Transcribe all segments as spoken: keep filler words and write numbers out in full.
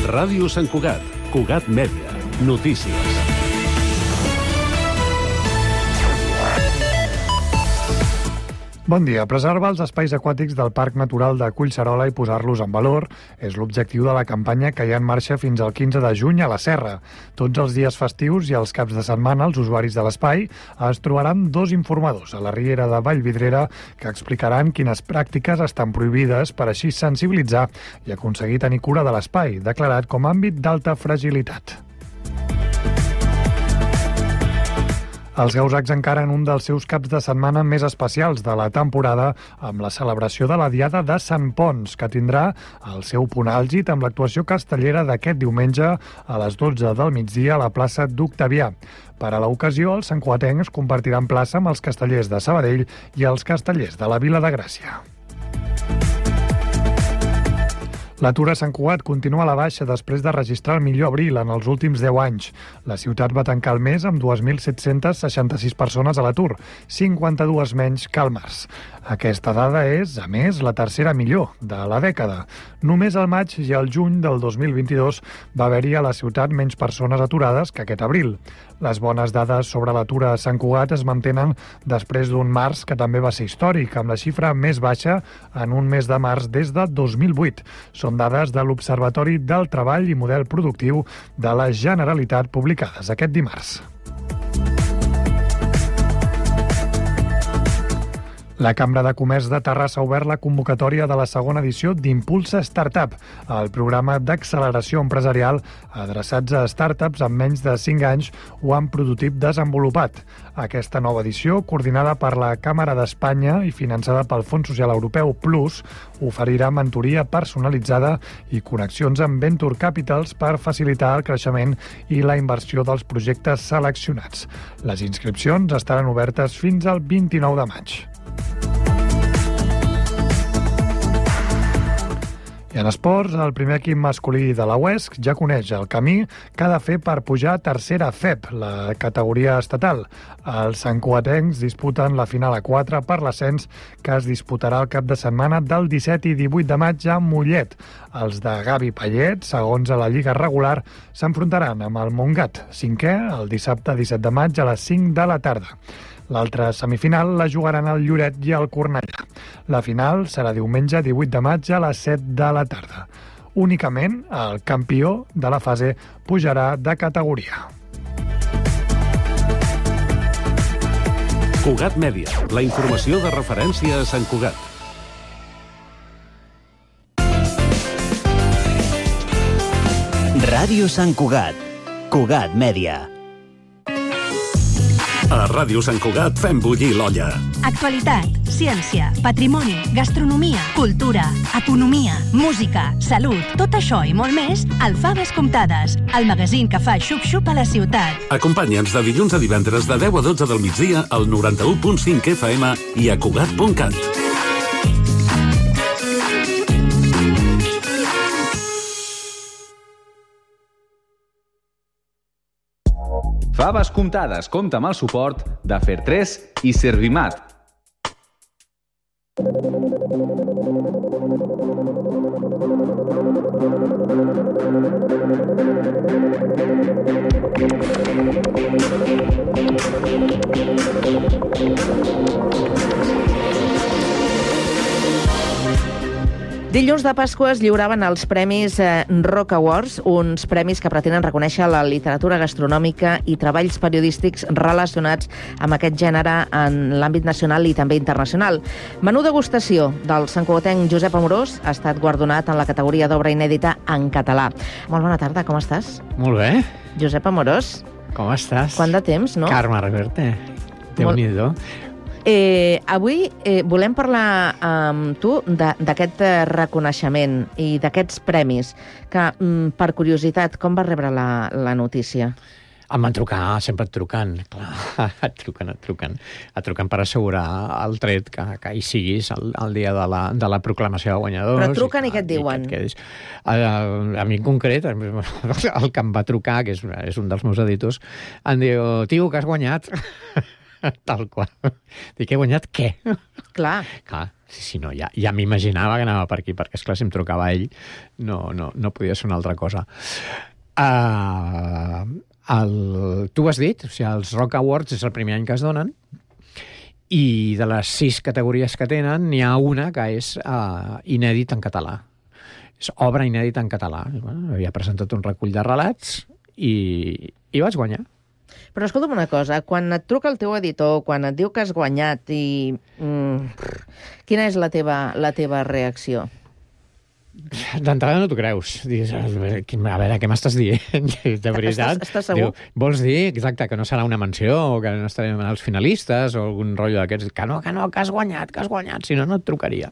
Ràdio Sant Cugat, Cugat Mèdia, notícies. Bon dia. Preservar els espais aquàtics del Parc Natural de Collserola i posar-los en valor és l'objectiu de la campanya que hi ha en marxa fins al quinze de juny a la Serra. Tots els dies festius i els caps de setmana els usuaris de l'espai es trobaran dos informadors a la riera de Vallvidrera que explicaran quines pràctiques estan prohibides per així sensibilitzar i aconseguir tenir cura de l'espai, declarat com a àmbit d'alta fragilitat. Els Gausacs encaren un dels seus caps de setmana més especials de la temporada amb la celebració de la Diada de Sant Ponç, que tindrà el seu punt àlgid amb l'actuació castellera d'aquest diumenge a les dotze del migdia a la plaça d'Octavià. Per a l'ocasió, els santcugatencs compartiran plaça amb els castellers de Sabadell i els castellers de la Vila de Gràcia. L'atur a Sant Cugat continua a la baixa després de registrar el millor abril en els últims deu anys. La ciutat va tancar el mes amb dos mil set-cents seixanta-sis persones a l'atur, cinquanta-dues menys que al març. Aquesta dada és, a més, la tercera millor de la dècada. Només al maig i al juny del dos mil vint-i-dos va haver-hi a la ciutat menys persones aturades que aquest abril. Les bones dades sobre l'atur a Sant Cugat es mantenen després d'un març que també va ser històric, amb la xifra més baixa en un mes de març des de dos mil vuit. Són dades de l'Observatori del Treball i Model Productiu de la Generalitat publicades aquest dimarts. La Cambra de Comerç de Terrassa ha obert la convocatòria de la segona edició d'Impulsa Startup, el programa d'acceleració empresarial adreçats a startups amb menys de cinc anys o amb prototip desenvolupat. Aquesta nova edició, coordinada per la Càmera d'Espanya i finançada pel Fons Social Europeu Plus, oferirà mentoria personalitzada i connexions amb Venture Capitals per facilitar el creixement i la inversió dels projectes seleccionats. Les inscripcions estaran obertes fins al vint-i-nou de maig. I en esports, el primer equip masculí de la U E S C ja coneix el camí que ha de fer per pujar a tercera F E P, la categoria estatal. Els santcugatencs disputen la final a quatre per l'ascens que es disputarà el cap de setmana del disset i divuit de maig a Mollet. Els de Gavi Payet, segons a la Lliga regular, s'enfrontaran amb el Montgat, cinquè, el dissabte disset de maig a les cinc de la tarda. L'altra semifinal la jugaran el Lloret i el Cornellà. La final serà diumenge divuit de maig a les set de la tarda. Únicament el campió de la fase pujarà de categoria. Cugat Mèdia, la informació de referència a Sant Cugat. Ràdio Sant Cugat, Cugat Mèdia. A Ràdio Sant Cugat fem bullir l'olla. Actualitat, ciència, patrimoni, gastronomia, cultura, economia, música, salut, tot això i molt més al Faves Comptades, el magazín que fa xup-xup a la ciutat. Acompanya'ns de dilluns a divendres de deu a dotze del migdia al noranta-u punt cinc F M i a Cugat punt cat. Faves Comptades compta amb el suport de Fertres i Servimat. Dilluns de Pasqua es lliuraven els Premis eh, Rock Awards, uns premis que pretenen reconèixer la literatura gastronòmica i treballs periodístics relacionats amb aquest gènere en l'àmbit nacional i també internacional. Menú degustació del santcugatenc Josep Amorós ha estat guardonat en la categoria d'obra inèdita en català. Molt bona tarda, com estàs? Molt bé. Josep Amorós. Com estàs? Quant de temps, no? Carme Reverte. Déu-n'hi-do. Eh, avui eh, volem parlar amb tu d'aquest eh, reconeixement i d'aquests premis, que mm, per curiositat, com vas rebre la, la notícia? Em van trucar, sempre et truquen, clar, et truquen, et truquen, et truquen per assegurar el tret que, que hi siguis el, el dia de la, de la proclamació de guanyadors. Però truquen i, i què et diuen? Que et a, a mi en concret, el que em va trucar, que és, és un dels meus editors, em diu, tio, que has guanyat. Tal qual. Dic, he guanyat què? Clar. Clar. Sí, sí, no, ja, ja m'imaginava que anava per aquí, perquè, esclar, si em trucava ell, no, no, no podia ser una altra cosa. Uh, el, tu ho has dit, o sigui, els Rock Awards és el primer any que es donen, i de les sis categories que tenen, n'hi ha una que és uh, inèdit en català. És obra inèdita en català. Bueno, havia presentat un recull de relats i, i vaig guanyar. Però escolta'm una cosa, quan et truca el teu editor, quan et diu que has guanyat, i mm, quina és la teva, la teva reacció? D'entrada no t'ho creus. Dius, a veure, què m'estàs dient? De veritat. Estàs, estàs segur? Diu, vols dir, exacte, que no serà una menció, o que no estarem als finalistes, o algun rotllo d'aquests? Que no, que no, que has guanyat, que has guanyat, si no, no et trucaria.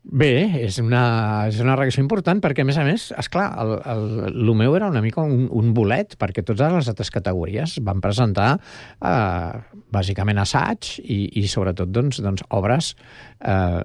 Bé, és una, és una reacció important perquè, a més a més, esclar, el, el, el meu era una mica un, un bolet, perquè totes les altres categories van presentar eh, bàsicament assaig i, i sobretot doncs, doncs, obres eh,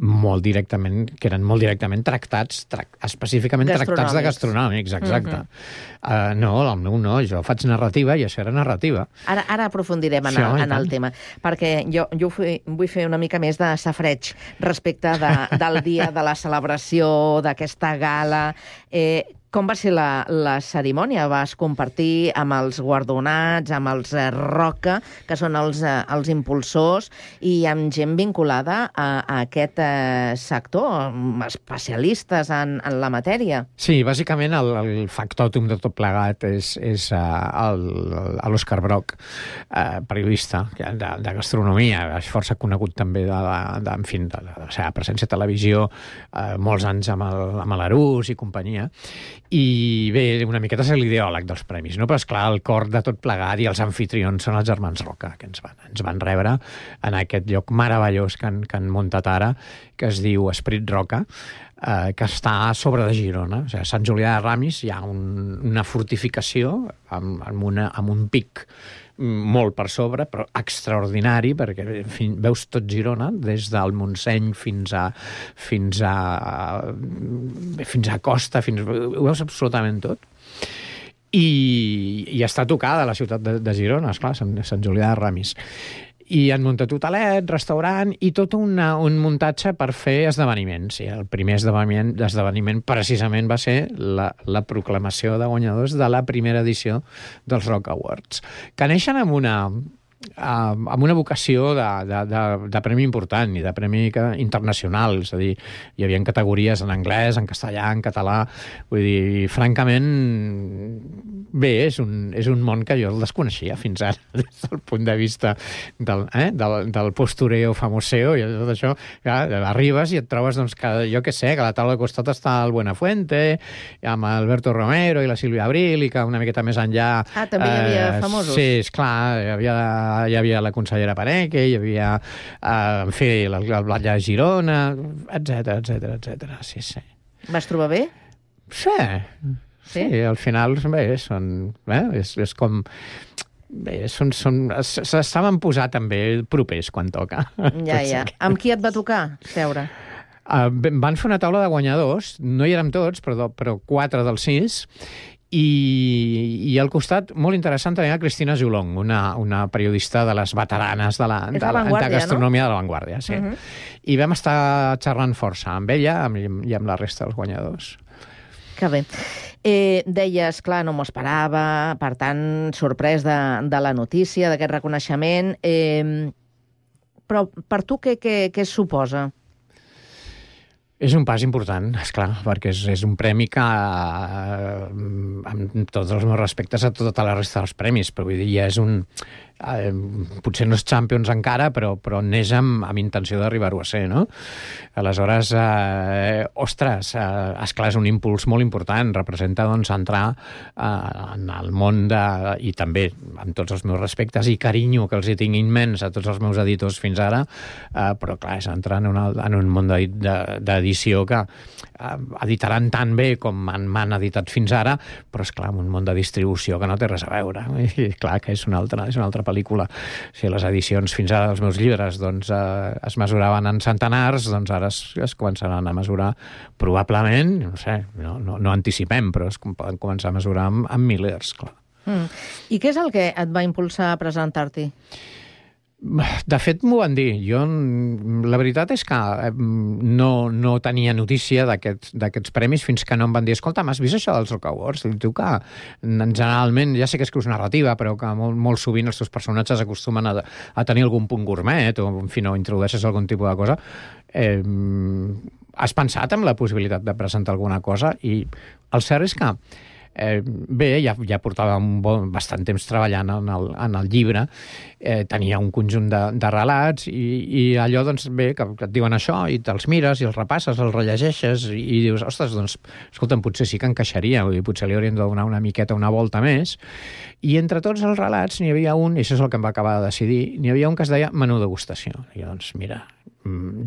molt directament, que eren molt directament tractats, trac, específicament tractats de gastronòmics, exacte. Uh-huh. uh, no, el meu no, jo faig narrativa i això era narrativa. Ara, ara aprofundirem en, sí, el, en el tema, perquè jo, jo vull fer una mica més de safreig respecte De, del dia de la celebració, d'aquesta gala. Eh, com va ser la, la cerimònia? Vas compartir amb els guardonats, amb els eh, Roca, que són els, eh, els impulsors, i amb gent vinculada a, a aquest eh, sector, especialistes en, en la matèria? Sí, bàsicament el, el factòtum de tot plegat és, és uh, l'Òscar Broc, uh, periodista de, de gastronomia, és força conegut també de, de, de, en fi, de, de la seva presència a televisió, uh, molts anys amb el, amb l'Arús i companyia, i bé, una miqueta és l'ideòleg dels premis, no? Però esclar, el cor de tot plegat i els anfitrions són els germans Roca, que ens van, ens van rebre en aquest lloc meravellós que han, que han muntat ara, que es diu Esprit Roca, eh, que està a sobre de Girona. O sigui, a Sant Julià de Ramis hi ha un, una fortificació amb, amb, una, amb un pic molt per sobre, però extraordinari, perquè en fi, veus tot Girona, des del Montseny fins a fins a fins a Costa, fins, ho veus absolutament tot. I, i està tocada la ciutat de, de Girona, esclar, Sant, Sant Julià de Ramis. I han muntat hotelet, restaurant i tot una, un muntatge per fer esdeveniments. I el primer esdeveniment, esdeveniment precisament va ser la, la proclamació de guanyadors de la primera edició dels Rock Awards, que neixen amb una, amb una vocació de, de, de, de premi important i de premi internacional. És a dir, hi havia categories en anglès, en castellà, en català. Vull dir, francament, bé, és un, és un món que jo el desconeixia fins ara, des del punt de vista del, eh, del, del postureo famoseo i tot això. Ja, arribes i et trobes, doncs, que, jo què sé, que a la taula de costat està el Buenafuente, amb Alberto Romero i la Sílvia Abril, i que una miqueta més enllà... Ah, també hi havia eh, famosos. Sí, esclar, hi havia, hi havia la consellera Paneque, hi havia, eh, en fi, el, el Blat de Girona, etcètera, etcètera, etcètera. Sí, sí. Vas trobar bé? Sí. Sí, sí, al final, bé, són... Eh, és, és com... Bé, són... són s'estaven posant també propers quan toca. Ja, ja. Amb qui et va tocar seure? Uh, van fer una taula de guanyadors, no hi érem tots, però, però quatre dels sis, i, i al costat, molt interessant, tenia Cristina Jolong, una, una periodista de les veteranes de la, de, la, de gastronomia, no? De l'avantguàrdia, sí. Uh -huh. I vam estar xerrant força amb ella amb, i amb la resta dels guanyadors. Que bé. Eh, deies, clar, no m'ho esperava, per tant, sorprès de, de la notícia, d'aquest reconeixement. Eh, però per tu què, què, què suposa? És un pas important, esclar, perquè és, és un premi que, eh, amb tots els meus respectes a tota la resta dels premis, però vull dir, ja és un... Eh, potser no és Champions encara, però, però neix amb, amb intenció d'arribar-ho a ser, no? Aleshores, eh, ostres, eh, esclar, és un impuls molt important, representa, doncs, entrar eh, en el món de... i també, amb tots els meus respectes i carinyo que els hi tinc immens a tots els meus editors fins ara, eh, però, clar, és entrar en, una, en un món d'edició que eh, editaran tan bé com m'han editat fins ara, però, esclar, en un món de distribució que no té res a veure. I, clar, que és una altra, és una altra pel·lícula. Si les edicions fins ara dels meus llibres doncs, eh, es mesuraven en centenars, doncs ara es, es començaran a mesurar probablement, no sé, no, no, no anticipem, però es poden començar a mesurar amb, amb milers, clar. Mm. I què és el que et va impulsar a presentar-t'hi? De fet, m'ho van dir. Jo, la veritat és que no, no tenia notícia d'aquests premis fins que no em van dir, escolta, m'has vist això dels Rock Awards? Diu que generalment, ja sé que escrius narrativa, però que molt, molt sovint els teus personatges acostumen a, a tenir algun punt gourmet o, en fi, no introdueixes algun tipus de cosa. Eh, has pensat en la possibilitat de presentar alguna cosa? I el cert és que Eh, bé, ja, ja portava un bon, bastant temps treballant en el, en el llibre, eh, tenia un conjunt de, de relats i, i allò, doncs, bé, que, que et diuen això i te'ls mires i els repasses, els rellegeixes i, i dius, ostres, doncs, escolta'm, potser sí que encaixaria, vull dir, potser li hauríem de donar una miqueta, una volta més. I entre tots els relats n'hi havia un, i això és el que em va acabar de decidir, n'hi havia un que es deia menú degustació. I doncs, mira,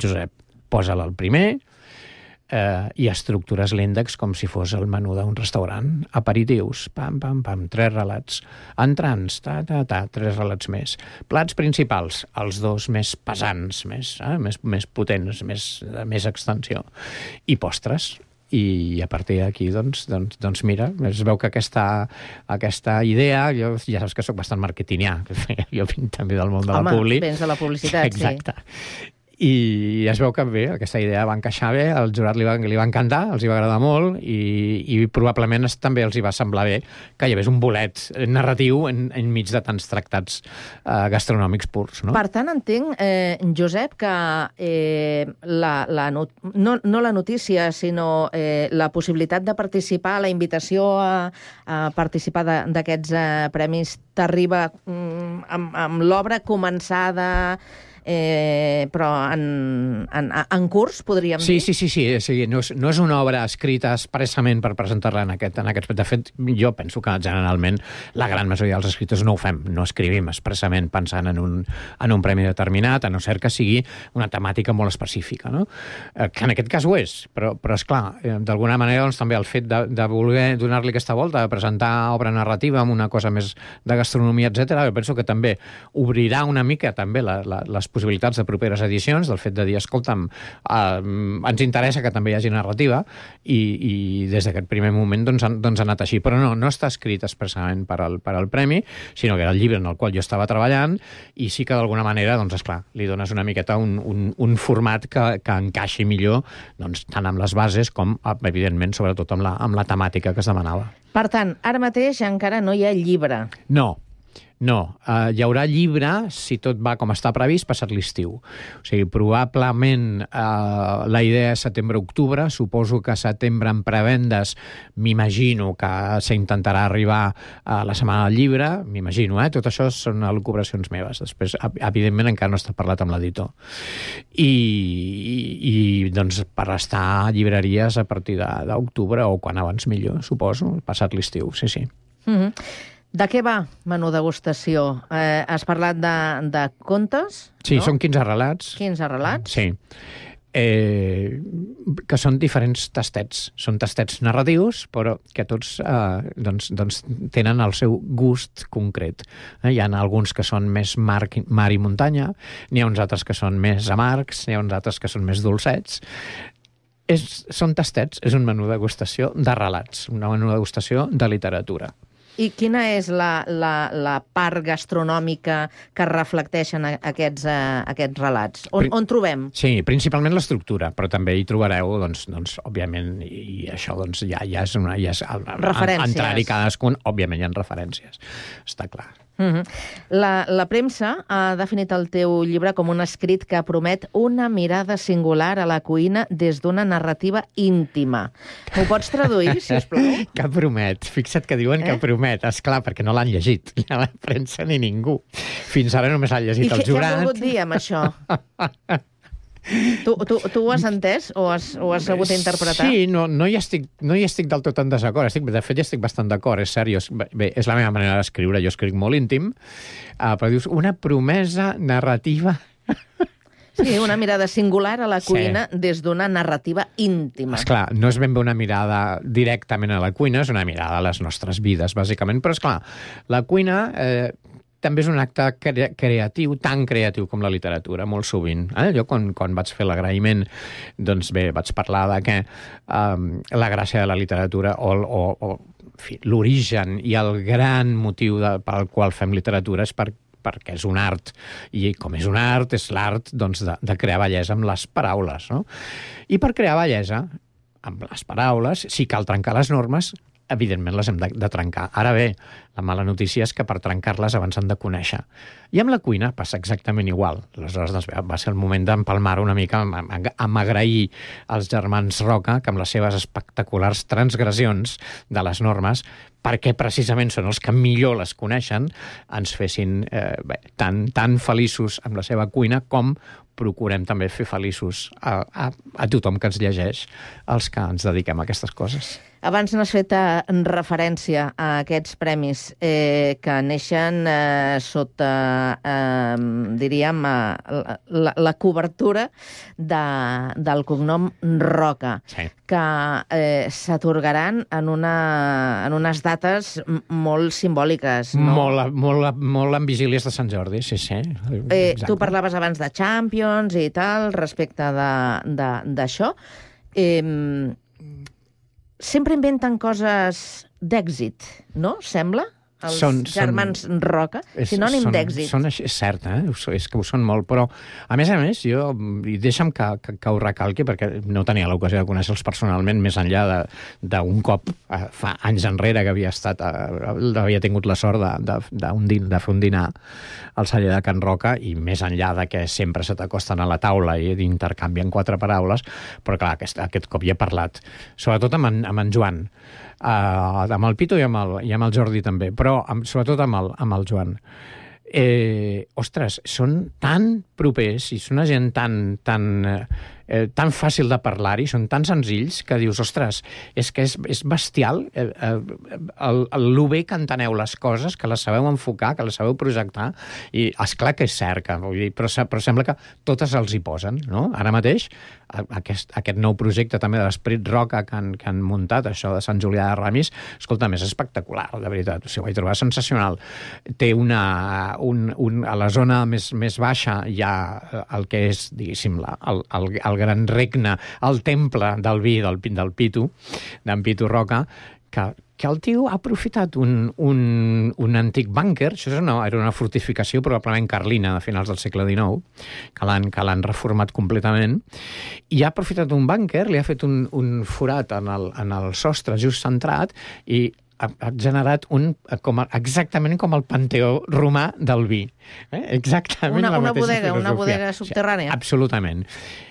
Josep, posa-la al primer, Eh, i estructures l'índex com si fos el menú d'un restaurant. Aperitius, pam, pam, pam, tres relats. Entrants, ta, ta, ta, tres relats més. Plats principals, els dos més pesants, més, eh, més, més potents, més, de més extensió. I postres. I a partir d'aquí, doncs, doncs, doncs mira, es veu que aquesta, aquesta idea, jo ja saps que sóc bastant marketingià, jo vinc també del món de Home, la publi. Home, vens de la publicitat, exacte. Sí. Exacte. I es veu que bé, aquesta idea va encaixar bé, al jurat li va, li va encantar, els hi va agradar molt i, i probablement també els hi va semblar bé que hi hagués un bolet narratiu en, enmig de tants tractats eh, gastronòmics purs. No? Per tant, entenc, eh, Josep, que eh, la, la not no, no la notícia, sinó eh, la possibilitat de participar, la invitació a, a participar d'aquests eh, premis t'arriba mm, amb, amb l'obra començada, Eh, però en, en, en curs, podríem sí, dir? Sí, sí, sí. sí. No, és, no és una obra escrita expressament per presentar-la en aquest, en aquest... De fet, jo penso que generalment la gran majoria dels escriptors no ho fem, no escrivim expressament pensant en un, en un premi determinat, a no ser que sigui una temàtica molt específica, no? Eh, que en aquest cas ho és, però, però esclar, eh, d'alguna manera doncs, també el fet de, de voler donar-li aquesta volta, de presentar obra narrativa amb una cosa més de gastronomia, etcètera, jo penso que també obrirà una mica també la, la, les possibilitats de properes edicions, del fet de dir, escolta'm, eh, ens interessa que també hi hagi narrativa, i, i des d'aquest primer moment doncs, doncs ha anat així. Però no, no està escrit expressament per al, per al premi, sinó que era el llibre en el qual jo estava treballant, i sí que d'alguna manera, doncs, esclar, li dones una miqueta un, un, un format que, que encaixi millor, doncs, tant amb les bases com, evidentment, sobretot amb la, amb la temàtica que es demanava. Per tant, ara mateix encara no hi ha llibre. No. No, uh, hi haurà llibre, si tot va com està previst, passat l'estiu. O sigui, probablement uh, la idea és setembre-octubre, suposo que setembre en prevendes, m'imagino que s'intentarà arribar a la setmana del llibre, m'imagino, eh? Tot això són elucubracions meves. Després, evidentment, encara no està parlat amb l'editor. I, i, i, doncs, per estar a llibreries a partir d'octubre, o quan abans millor, suposo, passat l'estiu, sí, sí. Mm-hmm. De què va menú degustació? Eh, has parlat de, de contes? Sí, no? Són quinze relats. quinze relats? Sí. Eh, que són diferents tastets. Són tastets narratius, però que tots eh, doncs, doncs tenen el seu gust concret. Eh, hi ha alguns que són més mar, mar i muntanya, n'hi ha uns altres que són més amargs, n'hi ha uns altres que són més dolcets. És, són tastets, és un menú degustació de relats, un menú degustació de literatura. I quina és la, la, la part gastronòmica que reflecteixen aquests, uh, aquests relats? On, on trobem? Sí, principalment l'estructura, però també hi trobareu, doncs, doncs òbviament, i això doncs, ja, ja és una... Ja és, referències. Entrar-hi cadascun, òbviament hi ha referències, està clar. Mm-hmm. La, la premsa ha definit el teu llibre com un escrit que promet una mirada singular a la cuina des d'una narrativa íntima. M'ho pots traduir, sisplau? Que promet. Fixa't que diuen eh? que promet. Esclar, perquè no l'han llegit, ni a la premsa ni ningú. Fins ara només l'han llegit el jurat. I què ha volgut dir amb això? Tu, tu, tu ho has entès o has, o has sabut interpretar? Sí, no, no, hi estic, no hi estic del tot en desacord. Estic, de fet, hi estic bastant d'acord, és cert. Jo, bé, és la meva manera d'escriure, jo escric molt íntim, uh, però dius, una promesa narrativa... Sí, una mirada singular a la cuina sí. des d'una narrativa íntima. Esclar, no és ben bé una mirada directament a la cuina, és una mirada a les nostres vides, bàsicament, però esclar, la cuina... Eh, també és un acte cre creatiu, tan creatiu com la literatura, molt sovint. Eh? Jo, quan, quan vaig fer l'agraïment, doncs bé, vaig parlar de que um, la gràcia de la literatura o, o, o l'origen i el gran motiu de, pel qual fem literatura és per, perquè és un art, i com és un art, és l'art doncs, de, de crear bellesa amb les paraules, no? I per crear bellesa, amb les paraules, si cal trencar les normes, evidentment les hem de, de trencar. Ara bé, la mala notícia és que per trencar-les abans han de conèixer. I amb la cuina passa exactament igual. Aleshores doncs, va ser el moment d'empalmar una mica, amb, amb agrair als germans Roca que amb les seves espectaculars transgressions de les normes, perquè precisament són els que millor les coneixen, ens fessin eh, bé, tan, tan feliços amb la seva cuina com procurem també fer feliços a, a, a tothom que ens llegeix, els que ens dediquem a aquestes coses. Abans n'has fet referència a aquests premis eh, que neixen eh, sota, eh, diríem, eh, la, la cobertura de, del cognom Roca, sí. que eh, s'atorgaran en, una, en unes dates molt simbòliques. No? Molt, molt, molt en vigílies de Sant Jordi, sí, sí. Eh, tu parlaves abans de Champions i tal, respecte d'això. Eh, sempre inventen coses d'èxit, no? Sembla? Els són, germans són, Roca, sinònim d'èxit. Són, és cert, eh? És que ho són molt, però a més a més, jo, i deixa'm que, que, que ho recalqui, perquè no tenia l'ocasió de conèixer-los personalment, més enllà d'un cop, fa anys enrere, que havia estat, havia tingut la sort de, de, de, un din, de fer un dinar al celler de Can Roca, i més enllà de que sempre se t'acosten a la taula i intercanvien quatre paraules, però clar, aquest, aquest cop hi he parlat, sobretot amb en, amb en Joan, Uh, amb el Pitu i amb el, i amb el Jordi també, però amb, sobretot amb el, amb el Joan. Eh, ostres, són tan propers i són una gent tan, tan, eh, tan fàcil de parlar-hi, són tan senzills que dius, ostres, és que és, és bestial eh, eh, el, el, el bé que enteneu les coses, que les sabeu enfocar, que les sabeu projectar, i esclar que és cert, que, vull dir, però, però sembla que totes els hi posen, no? Ara mateix, aquest, aquest nou projecte també de l'Esperit Roca que han, que han muntat, això de Sant Julià de Ramis, escolta, és espectacular, de veritat, o sigui, ho vaig trobar sensacional. Té una, un, un, a la zona més, més baixa hi ha el que és, diguéssim, la, el, el, el gran regne, el temple del vi del, del Pitu, d'en Pitu Roca, que, que el tio ha aprofitat un, un, un antic búnquer, això és una, era una fortificació probablement carlina de finals del segle dinou, que l'han que l'han reformat completament, i ha aprofitat un búnquer, li ha fet un, un forat en el, en el sostre just centrat, i ha, ha generat un, com a, exactament com el panteó romà del vi. Eh? Exactament una, la una mateixa bodega, filosofia. una bodega subterrània. Sí, absolutament.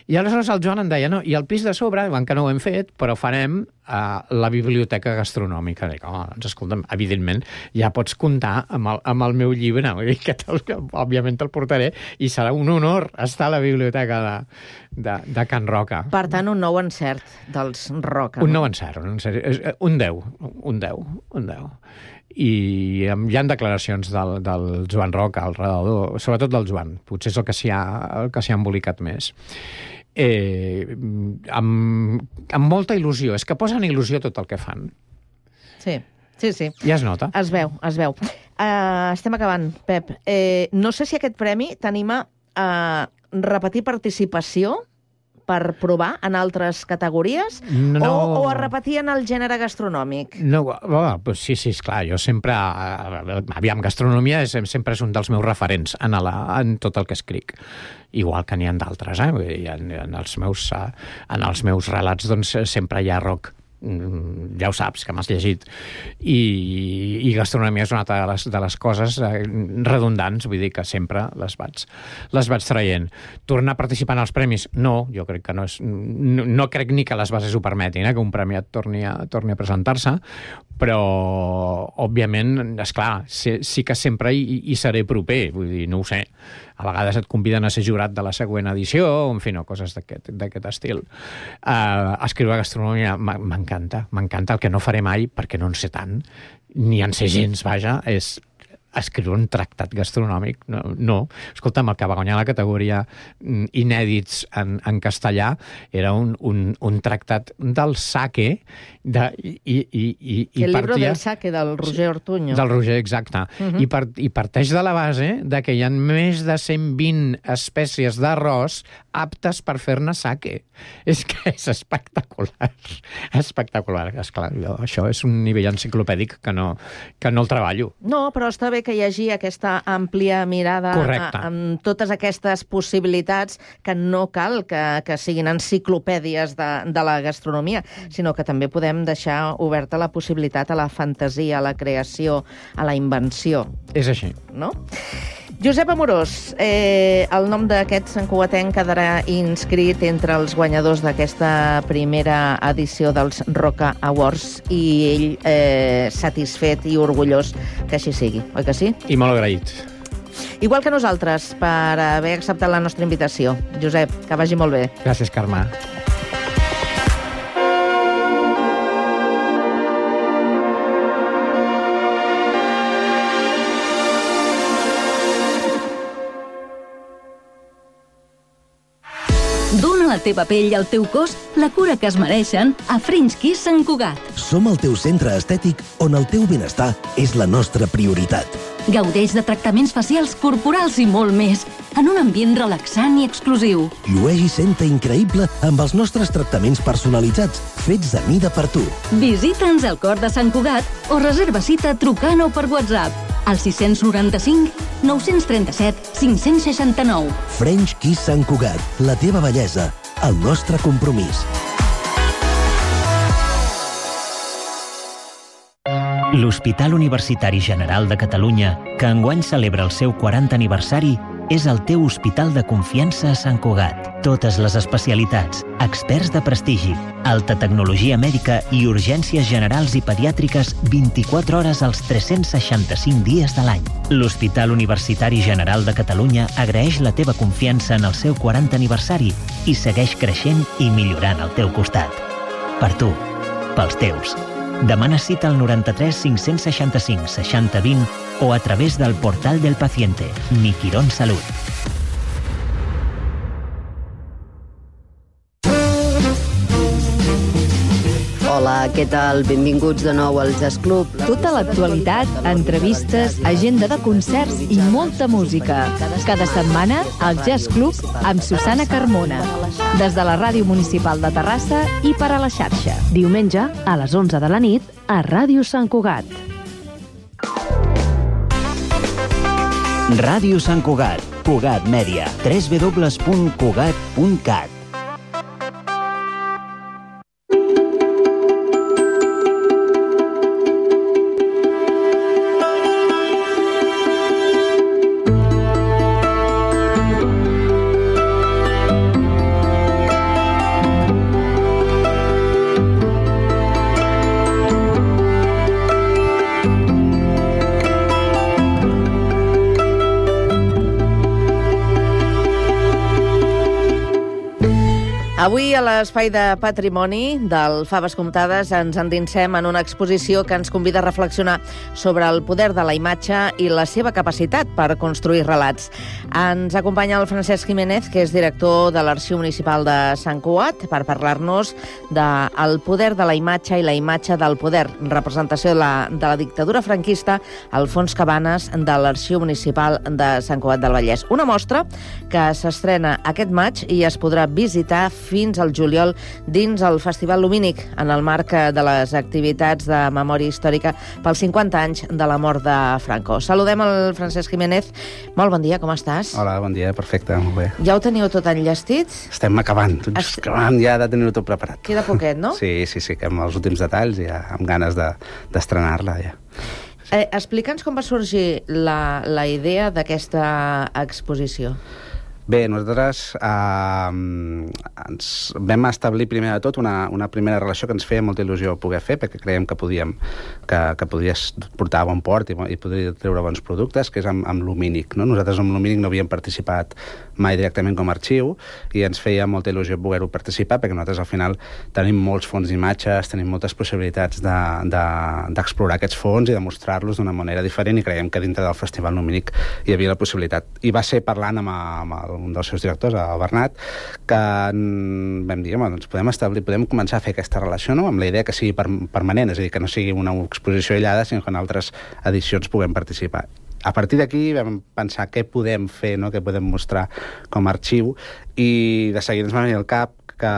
I aleshores el Joan em deia, no, i el pis de sobre, que no ho hem fet, però farem uh, la biblioteca gastronòmica. Dic, home, doncs escolta'm, evidentment, ja pots comptar amb el, amb el meu llibre, vull dir que, que òbviament te'l portaré, i serà un honor estar a la biblioteca de, de, de Can Roca. Per tant, un nou encert dels Roca. Un nou encert, un encert, un deu, un deu, un deu. I hi ha declaracions del, del Joan Roca al redador, sobretot del Joan, potser és el que s'hi ha, el que s'hi ha embolicat més. Eh, amb, amb molta il·lusió, és que posen il·lusió tot el que fan. Sí, sí, sí. Ja es nota. Es veu, es veu. Uh, estem acabant, Pep. Eh, no sé si aquest premi t'anima a repetir participació per provar en altres categories no. o, o a repetir en el gènere gastronòmic? No, oh, pues sí, sí, esclar, jo sempre... Aviam, gastronomia és, sempre és un dels meus referents en, la, en tot el que escric. Igual que n'hi ha d'altres, eh? En, en, els meus, en els meus relats doncs, sempre hi ha rock. Ja ho saps, que m'has llegit. I, i gastronomia és una altra de les, de les coses redundants, vull dir que sempre les vaig, les vaig traient. Tornar a participar en els premis? No, jo crec que no és... No, no crec ni que les bases ho permetin, eh, que un premiat torni a, torni a presentar-se, però, òbviament, esclar, sí, sí que sempre hi, hi seré proper, vull dir, no ho sé. A vegades et conviden a ser jurat de la següent edició, en fi, no, coses d'aquest estil. Uh, escriure gastronomia m'encanta, m'encanta. El que no faré mai, perquè no en sé tant, ni en sé gens, vaja, és escriure un tractat gastronòmic. No, no. Escolta'm, el que va guanyar la categoria inèdits en, en castellà era un, un, un tractat del sake de, i, i, i, i el partia... llibre del sake, del Roger Ortuño. Del Roger, exacte. Uh-huh. I, part, I parteix de la base de que hi ha més de cent vint espècies d'arròs aptes per fer-ne sake. És que és espectacular. espectacular, esclar. Jo, això és un nivell enciclopèdic que no, que no el treballo. No, però està bé que hi hagi aquesta àmplia mirada a, amb totes aquestes possibilitats, que no cal que, que siguin enciclopèdies de, de la gastronomia, sinó que també podem deixar oberta la possibilitat a la fantasia, a la creació, a la invenció. És així. No? Josep Amorós, eh, el nom d'aquest santcugatenc quedarà inscrit entre els guanyadors d'aquesta primera edició dels Roca Awards i ell eh, satisfet i orgullós que així sigui, oi que sí? I molt agraït. Igual que nosaltres, per haver acceptat la nostra invitació. Josep, que vagi molt bé. Gràcies, Carme. Dóna a la teva pell i al teu cos la cura que es mereixen a French Kiss Sant Cugat. Som el teu centre estètic on el teu benestar és la nostra prioritat. Gaudeix de tractaments facials, corporals i molt més, en un ambient relaxant i exclusiu. Llueix i senta increïble amb els nostres tractaments personalitzats, fets a mida per tu. Visita'ns al cor de Sant Cugat o reserva cita trucant o per WhatsApp al sis noranta-cinc nou trenta-set cinc seixanta-nou. French Kiss Sant Cugat, la teva bellesa, el nostre compromís. L'Hospital Universitari General de Catalunya, que enguany celebra el seu quaranta aniversari, és el teu hospital de confiança a Sant Cugat. Totes les especialitats, experts de prestigi, alta tecnologia mèdica i urgències generals i pediàtriques vint-i-quatre hores als tres-cents seixanta-cinc dies de l'any. L'Hospital Universitari General de Catalunya agraeix la teva confiança en el seu quaranta aniversari i segueix creixent i millorant al teu costat. Per tu, pels teus. Demana cita al noranta-tres cinc-cents seixanta-cinc seixanta vint o a través del portal del paciente, Mi Quirón Salut. Hola, què tal? Benvinguts de nou al Jazz Club. Tota l'actualitat, entrevistes, agenda de concerts i molta música. Cada setmana, al Jazz Club amb Susana Carmona. Des de la Ràdio Municipal de Terrassa i per a la xarxa. Diumenge, a les onze de la nit, a Ràdio Sant Cugat. Ràdio Sant Cugat, Cugat Mèdia, w w w punt cugat punt cat. Avui, a l'Espai de Patrimoni del Faves Comptades, ens endinsem en una exposició que ens convida a reflexionar sobre el poder de la imatge i la seva capacitat per construir relats. Ens acompanya el Francesc Jiménez, que és director de l'Arxiu Municipal de Sant Cugat, per parlar-nos del poder de la imatge i la imatge del poder, representació de la, de la dictadura franquista, al fons Cabanes de l'Arxiu Municipal de Sant Cugat del Vallès. Una mostra que s'estrena aquest maig i es podrà visitar fins al juliol dins el Festival Lumínic, en el marc de les activitats de memòria històrica pels cinquanta anys de la mort de Franco. Saludem el Francesc Jiménez. Molt bon dia, com estàs? Hola, bon dia, perfecte, molt bé. Ja ho teniu tot enllestit? Estem acabant, tots es... acabant ja de tenir-ho tot preparat. Queda poquet, no? Sí, sí, sí, que amb els últims detalls ja amb ganes de, d'estrenar-la ja. Sí. Eh, Explica'ns com va sorgir la, la idea d'aquesta exposició. Bé, nosaltres eh, ens vam establir primer de tot una, una primera relació que ens feia molta il·lusió poder fer, perquè creiem que podíem que, que podies portar a bon port i, i podria treure bons productes, que és amb, amb Lumínic. No? Nosaltres amb Lumínic no havíem participat mai directament com a arxiu i ens feia molta il·lusió poder-ho participar, perquè nosaltres al final tenim molts fons d'imatges, tenim moltes possibilitats de, de, d'explorar aquests fons i de mostrar-los d'una manera diferent, i creiem que dintre del Festival Lumínic hi havia la possibilitat. I va ser parlant amb, amb el un dels seus directors, el Bernat, que vam dir, home, doncs podem establir, podem començar a fer aquesta relació, no?, amb la idea que sigui permanent, és a dir, que no sigui una exposició aïllada, sinó que en altres edicions puguem participar. A partir d'aquí vam pensar què podem fer, no?, què podem mostrar com a arxiu, i de seguida ens va venir al cap que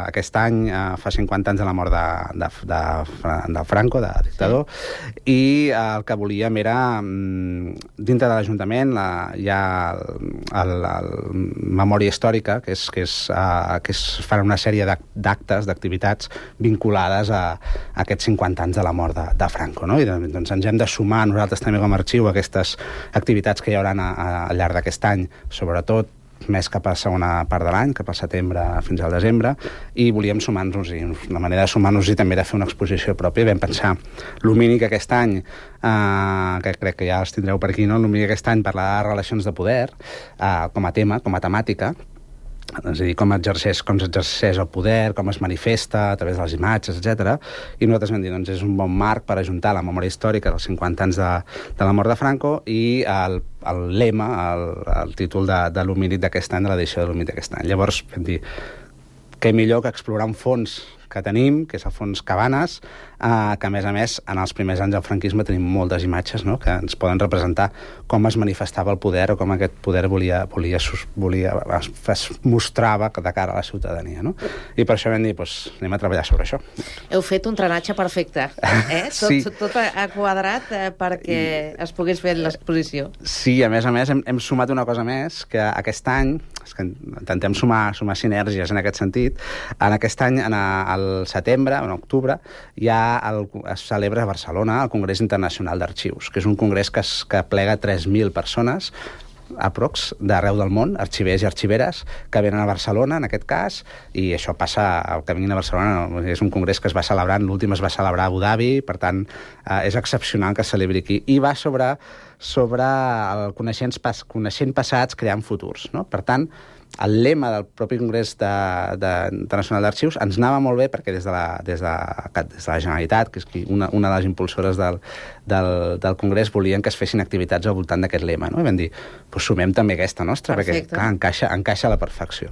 aquest any eh, fa cinquanta anys de la mort de, de, de, de Franco, de dictador, sí. I el que volíem era, dintre de l'Ajuntament, la, hi ha el, el, el memòria històrica, que és, que és, uh, que es fan una sèrie d'actes, d'activitats vinculades a, a aquests cinquanta anys de la mort de, de Franco, no? I doncs ens hem de sumar nosaltres també com a arxiu a aquestes activitats que hi haurà a, a, al llarg d'aquest any, sobretot més cap a segona part de l'any, cap al setembre fins al desembre, i volíem sumar-nos, i la manera de sumar-nos i també era fer una exposició pròpia. Vam pensar, l'Humínic aquest any, eh, que crec que ja els tindreu per aquí, no? L'Humínic aquest any parlarà de relacions de poder, eh, com a tema, com a temàtica, és a dir, com exerceix, com s'exerceix el poder, com es manifesta a través de les imatges, etcètera. I nosaltres vam dir, doncs és un bon marc per ajuntar la memòria històrica dels cinquanta anys de, de la mort de Franco i el, el lema, el, el títol de, de l'Humínic d'aquest any, de l'edició de l'Humínic d'aquest any. Llavors vam dir, què millor que explorar un fons que tenim, que és el fons Cabanes, eh, que a més a més en els primers anys del franquisme tenim moltes imatges, no?, que ens poden representar com es manifestava el poder o com aquest poder volia, volia, volia es, es mostrava de cara a la ciutadania, no? I per això vam dir, doncs, anem a treballar sobre això. Heu fet un trenatge perfecte, eh? Tot, sí. tot ha quadrat eh, perquè es pogués fer l'exposició. Sí, a més a més hem, hem sumat una cosa més, que aquest any, és que intentem sumar, sumar sinergies en aquest sentit, en aquest any, en el setembre, en octubre, ja el, es celebra a Barcelona el Congrés Internacional d'Arxius, que és un congrés que, es, que plega tres mil persones, aprox, d'arreu del món, arxivers i arxiveres, que venen a Barcelona, en aquest cas, i això passa, el que vinguin a Barcelona, no, és un congrés que es va celebrar, l'últim es va celebrar a Abu Dhabi, per tant, eh, és excepcional que es celebri aquí, i va sobre, sobre el coneixents, pas, coneixent passats, creant futurs, no? Per tant, el lema del propi Congrés de, de, Internacional d'Arxius ens anava molt bé perquè des de la, des de, des de la Generalitat, que és una, una de les impulsores del, del, del Congrés, volien que es fessin activitats al voltant d'aquest lema, no? I vam dir, doncs sumem també aquesta nostra, Perfecte. Perquè clar, encaixa, encaixa a la perfecció.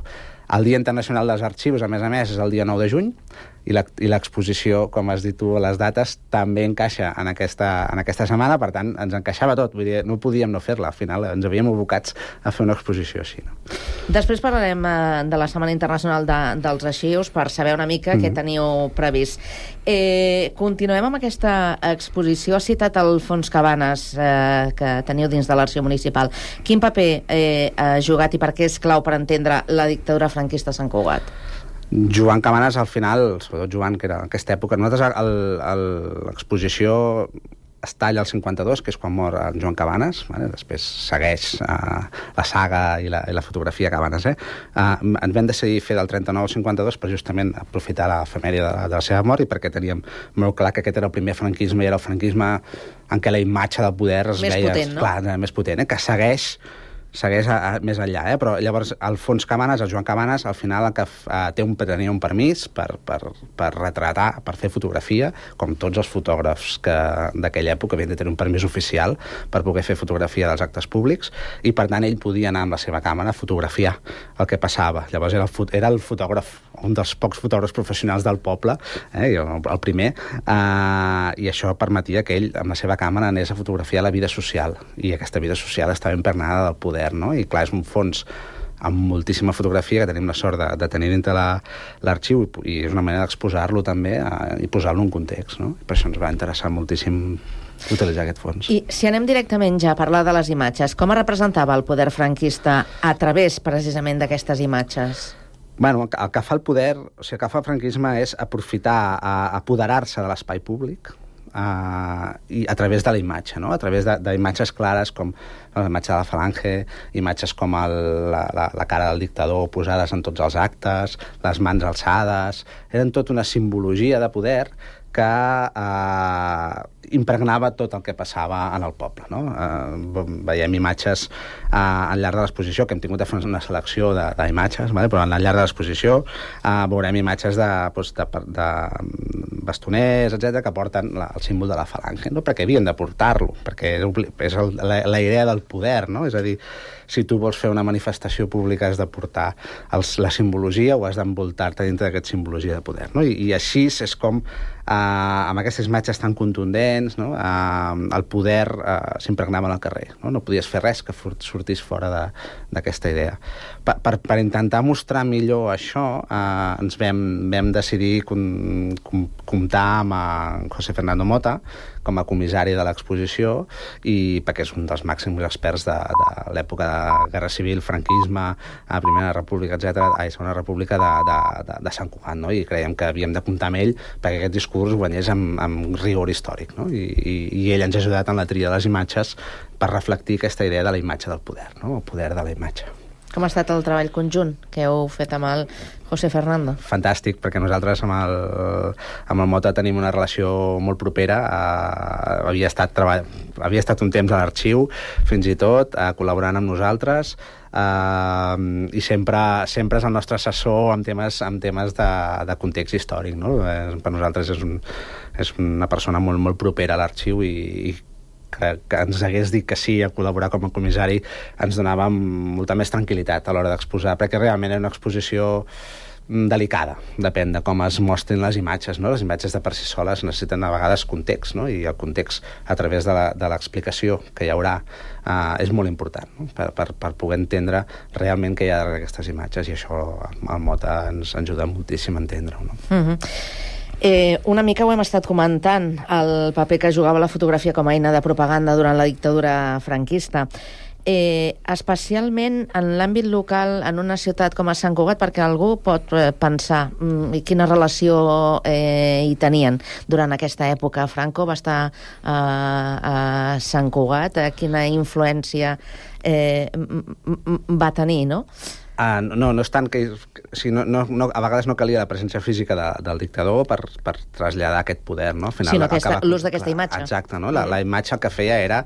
El Dia Internacional dels Arxius, a més a més, és el dia nou de juny, i l'exposició, com has dit tu, a les dates, també encaixa en aquesta, en aquesta setmana, per tant, ens encaixava tot, vull dir, no podíem no fer-la, al final ens havíem abocats a fer una exposició així. No? Després parlarem eh, de la Setmana Internacional de, dels Arxius per saber una mica mm-hmm. què teniu previst. Eh, continuem amb aquesta exposició. Ha citat el Fons Cabanes eh, que teniu dins de l'Arxiu Municipal. Quin paper eh, ha jugat i per què és clau per entendre la dictadura franquista a Sant Cugat? Joan Cabanes, al final, sobretot Joan, que era en aquesta època, nosaltres l'exposició es talla al cinquanta-dos, que és quan mor en Joan Cabanes, vale? Després segueix uh, la saga i la, i la fotografia Cabanes. Eh? Uh, ens vam decidir fer del trenta-nou al cinquanta-dos per justament aprofitar l'efemèria de, de la seva mort i perquè teníem molt clar que aquest era el primer franquisme i era el franquisme en què la imatge del poder es més veia... Potent, no? Clar, més potent, eh? Que segueix segueix a, a, més enllà, eh? Però llavors el Fons Cabanes, el Joan Cabanes, al final el que uh, té un, tenia un permís per, per, per retratar, per fer fotografia, com tots els fotògrafs d'aquella època havien de tenir un permís oficial per poder fer fotografia dels actes públics, i per tant ell podia anar amb la seva càmera a fotografiar el que passava. Llavors era el, era el fotògraf, un dels pocs fotògrafs professionals del poble, eh? el, el primer, uh, i això permetia que ell amb la seva càmera anés a fotografiar la vida social, i aquesta vida social estava impregnada del poder. No? I clar, és un fons amb moltíssima fotografia que tenim la sort de, de tenir dintre l'arxiu la, i és una manera d'exposar-lo també a, i posar-lo en context, no? I per això ens va interessar moltíssim utilitzar aquest fons. I si anem directament ja a parlar de les imatges, com es representava el poder franquista a través precisament d'aquestes imatges? Bueno, el que fa el poder, o sigui, el que fa el franquisme és aprofitar, a, apoderar-se de l'espai públic, Uh, i a través de la imatge, no? A través d'imatges clares com la imatge de la falange, imatges com el, la, la, la cara del dictador posades en tots els actes, les mans alçades, eren tot una simbologia de poder que eh, impregnava tot el que passava en el poble. No? Eh, veiem imatges eh, al llarg de l'exposició, que hem tingut de fer una selecció d'imatges, vale? Però al llarg de l'exposició eh, veurem imatges de, doncs, de, de bastoners, etcètera, que porten la, el símbol de la falange, no? Perquè havien de portar-lo, perquè és el, la, la idea del poder, no? És a dir, si tu vols fer una manifestació pública has de portar els, la simbologia o has d'envoltar-te dintre d'aquesta simbologia de poder. No? I, I així és com Uh, amb aquestes imatges tan contundents, no? uh, el poder uh, s'impregnava en el carrer. No? no podies fer res que sortís fora d'aquesta idea. Per, per, per intentar mostrar millor això, uh, ens vam, vam decidir com, com, comptar amb uh, José Fernando Mota com a comissari de l'exposició, i perquè és un dels màxims experts de, de l'època de Guerra Civil, franquisme, a Primera República, etcètera, a Segona República de, de, de, de Sant Cugat, no? I creiem que havíem de comptar amb ell perquè aquest discurs guanyés amb, amb rigor històric, no? I, i, i ell ens ha ajudat en la tria de les imatges per reflectir aquesta idea de la imatge del poder, no? El poder de la imatge. Com ha estat el treball conjunt que heu fet amb el José Fernando? Fantàstic, perquè nosaltres amb el, amb el Mota tenim una relació molt propera. Uh, havia, estat treball... havia estat un temps a l'arxiu, fins i tot, uh, col·laborant amb nosaltres, uh, i sempre, sempre és el nostre assessor en temes, en temes de, de context històric, no? Eh, per nosaltres és, un, és una persona molt, molt propera a l'arxiu, i, i que, que ens hagués dit que sí a col·laborar com a comissari ens donava molta més tranquil·litat a l'hora d'exposar, perquè realment era una exposició delicada, depèn de com es mostrin les imatges, no? Les imatges de per si soles necessiten a vegades context, no? I el context a través de l'explicació que hi haurà uh, és molt important, no? per, per, per poder entendre realment què hi ha darrere aquestes imatges, i això el Mota ens ajuda moltíssim a entendre-ho, no? Mm-hmm. Eh, una mica ho hem estat comentant, el paper que jugava la fotografia com a eina de propaganda durant la dictadura franquista. Eh, especialment en l'àmbit local, en una ciutat com a Sant Cugat, perquè algú pot eh, pensar mm, quina relació eh, hi tenien durant aquesta època. Franco va estar eh, a Sant Cugat, eh, quina influència eh, va tenir, no? Uh, no, no és tant que... Si no, no, no, a vegades no calia la presència física de, del dictador per, per traslladar aquest poder, no? Al final, sinó aquesta, l'ús d'aquesta imatge. Exacte, no? La, la imatge el que feia era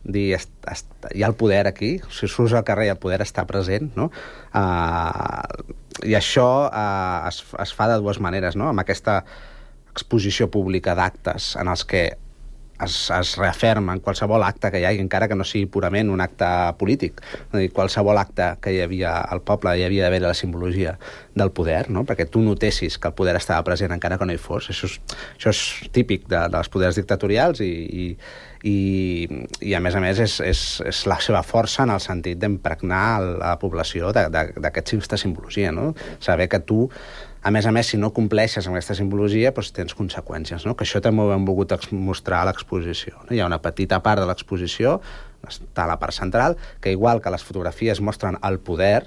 dir, est, est, hi ha el poder aquí, si surts al carrer el poder està present, no? Uh, I això uh, es, es fa de dues maneres, no? Amb aquesta exposició pública d'actes en els que Es, es reafirma en qualsevol acte que hi hagi, encara que no sigui purament un acte polític. És a dir, qualsevol acte que hi havia al poble hi havia d'haver la simbologia del poder, no? Perquè tu notessis que el poder estava present encara que no hi fos. Això és, això és típic de, dels poders dictatorials, i, i, i, i a més a més és, és, és la seva força en el sentit d'impregnar la població d'aquesta simbologia, no? Saber que tu, a més a més, si no compleixes amb aquesta simbologia, doncs tens conseqüències, no? Que això també ho hem volgut mostrar a l'exposició, no? Hi ha una petita part de l'exposició, està a la part central, que igual que les fotografies mostren el poder,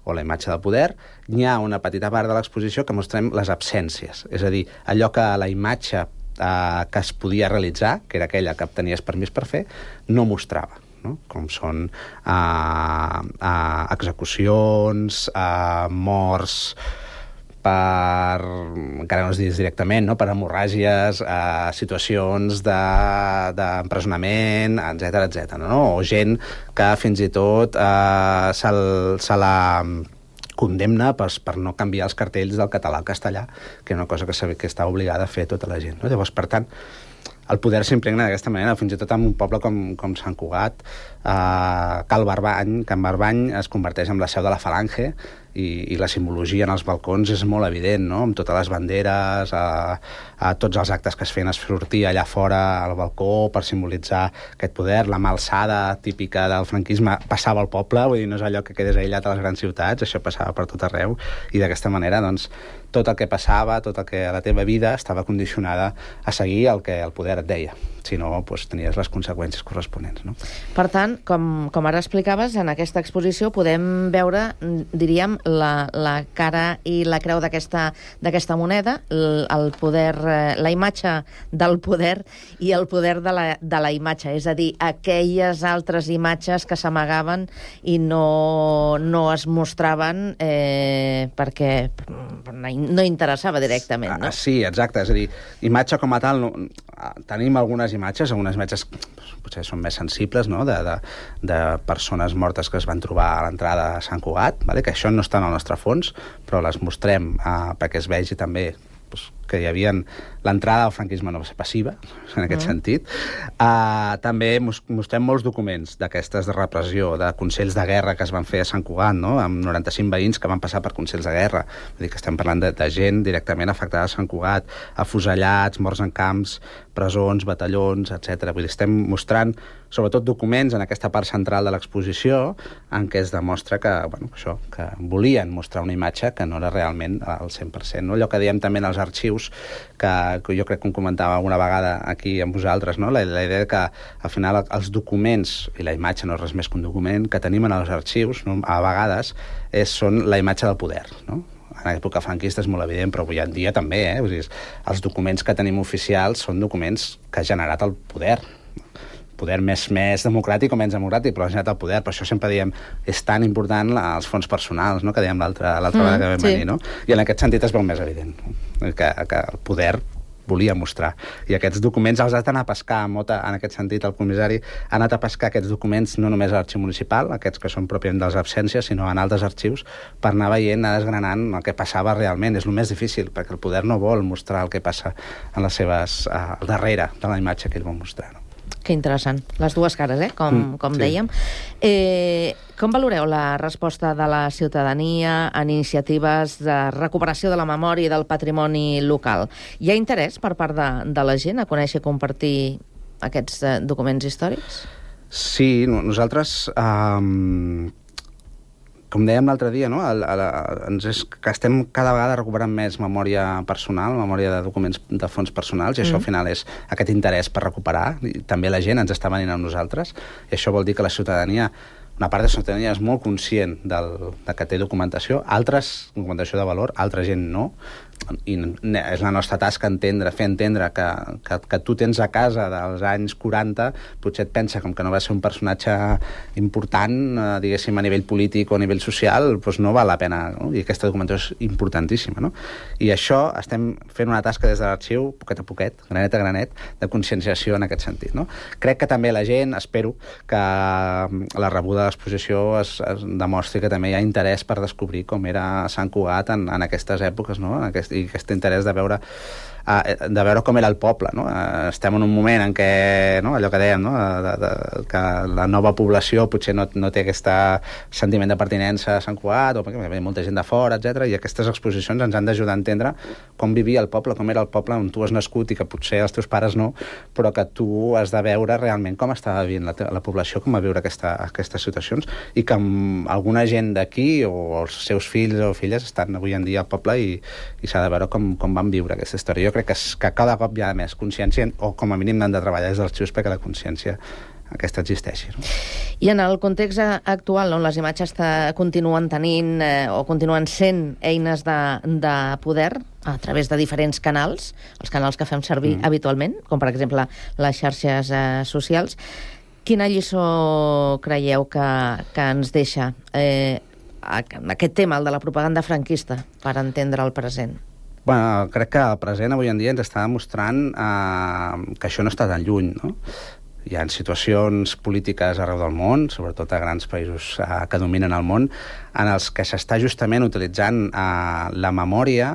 o la imatge del poder, hi ha una petita part de l'exposició que mostrem les absències, és a dir, allò que la imatge eh, que es podia realitzar, que era aquella que tenies permís per fer, no mostrava. No? Com són eh, eh, execucions, eh, morts, per, encara no es diguis directament, no? Per hemorràgies, eh, situacions d'empresonament, de, etcètera, etcètera, no? O gent que fins i tot eh, se, se la condemna per, per no canviar els cartells del català al castellà, que és una cosa que, que està obligada a fer tota la gent, no? Llavors, per tant, el poder s'impregna d'aquesta manera, fins i tot en un poble com, com Sant Cugat, eh, Cal Barbany, Can Barbany es converteix en la seu de la Falange, i, i la simbologia en els balcons és molt evident, no? Amb totes les banderes, a, a tots els actes que es feien, es sortia allà fora al balcó per simbolitzar aquest poder, la mà alçada típica del franquisme passava al poble, vull dir, no és allò que quedés aïllat a les grans ciutats, això passava per tot arreu, i d'aquesta manera, doncs, tot el que passava, tot el que a la teva vida estava condicionada a seguir el que el poder et deia. Si no, doncs, tenies les conseqüències corresponents, no? Per tant, com, com ara explicaves, en aquesta exposició podem veure, diríem, la, la cara i la creu d'aquesta d'aquesta moneda, el, el poder, la imatge del poder i el poder de la, de la imatge, és a dir, aquelles altres imatges que s'amagaven i no, no es mostraven eh, perquè no interessava directament, no? Ah, sí, exacte, és a dir, imatge com a tal, no, tenim algunes imatges, algunes imatges potser són més sensibles, no? de, de, de persones mortes que es van trobar a l'entrada a Sant Cugat, vale? Que això no està en el nostre fons, però les mostrem eh, perquè es vegi també pues, que hi havia l'entrada al franquisme no va ser passiva, en aquest mm. sentit. Uh, també mostrem molts documents d'aquestes de repressió, de consells de guerra que es van fer a Sant Cugat, no? Amb noranta-cinc veïns que van passar per consells de guerra. Vull dir que estem parlant de, de gent directament afectada a Sant Cugat, afusellats, morts en camps, presons, batallons, etcètera. Vull dir, estem mostrant sobretot documents en aquesta part central de l'exposició en què es demostra que, bueno, això, que volien mostrar una imatge que no era realment al cent per cent. No? Allò que diem també en els arxius, que, que jo crec que em comentava una vegada aquí amb vosaltres, no? la, la idea que al final els documents, i la imatge no és res més que un document, que tenim en els arxius, no? a vegades és, són la imatge del poder, no? En l'època franquista és molt evident, però avui en dia també, eh? Vull dir, els documents que tenim oficials són documents que ha generat el poder. Poder més, més democràtic o menys democràtic, però ha generat el poder. Per això sempre diem, és tan important els fons personals, no? Que dèiem l'altra mm, vegada que vam sí. venir, no? I en aquest sentit es veu més evident, no? que, que el poder volia mostrar. I aquests documents els has d'anar a pescar, Mota, en aquest sentit, el comissari ha anat a pescar aquests documents no només a l'arxiu municipal, aquests que són pròpiament de les absències, sinó en altres arxius, per anar veient, anar desgranant el que passava realment. És el més difícil, perquè el poder no vol mostrar el que passa en les seves, uh, al darrere de la imatge que ell vol mostrar. No? Que interessant. Les dues cares, eh? com, mm, com sí. dèiem. Eh, com valoreu la resposta de la ciutadania en iniciatives de recuperació de la memòria i del patrimoni local? Hi ha interès per part de, de la gent a conèixer i compartir aquests eh, documents històrics? Sí, nosaltres... Eh, com dèiem l'altre dia, no? el, el, ens és que estem cada vegada recuperant més memòria personal, memòria de documents de fons personals, i això mm. al final és aquest interès per recuperar. I també la gent ens està venint amb nosaltres, i això vol dir que la ciutadania, una part de la ciutadania és molt conscient del, de que té documentació, altres, documentació de valor, altra gent no, i és la nostra tasca entendre, fer entendre que, que, que tu tens a casa dels anys quaranta, potser et pensa com que no va ser un personatge important, eh, diguéssim, a nivell polític o a nivell social, doncs no val la pena, no? I aquesta documentació és importantíssima, no? I això estem fent una tasca des de l'arxiu, poquet a poquet, granet a granet, de conscienciació en aquest sentit, no? Crec que també la gent, espero que la rebuda de l'exposició es, es demostri que també hi ha interès per descobrir com era Sant Cugat en, en aquestes èpoques, no? En aquest, i aquest interès de veure uh, de veure com era el poble, no? Uh, estem en un moment en què, no? allò que dèiem, no? de, de, que la nova població potser no, no té aquest sentiment de pertinença a Sant Cugat, o perquè ve molta gent de fora, etcètera, i aquestes exposicions ens han d'ajudar a entendre com vivia el poble, com era el poble on tu has nascut i que potser els teus pares no, però que tu has de veure realment com estava vivint la, la població, com va viure aquesta, aquestes situacions, i que alguna gent d'aquí o els seus fills o filles estan avui en dia al poble i, i s'ha de veure com, com van viure aquesta història. Jo crec que, que cada cop hi ha més consciència, o com a mínim n'han de treballar des dels arxius perquè la consciència aquesta existeixi. No? I en el context actual, on les imatges continuen tenint eh, o continuen sent eines de, de poder a través de diferents canals, els canals que fem servir mm. habitualment, com per exemple les xarxes eh, socials, quina lliçó creieu que, que ens deixa eh, aquest tema, el de la propaganda franquista, per entendre el present? Bueno, crec que el present avui en dia ens està demostrant eh, que això no està tan lluny, no? Hi ha situacions polítiques arreu del món, sobretot a grans països eh, que dominen el món, en els que s'està justament utilitzant eh, la memòria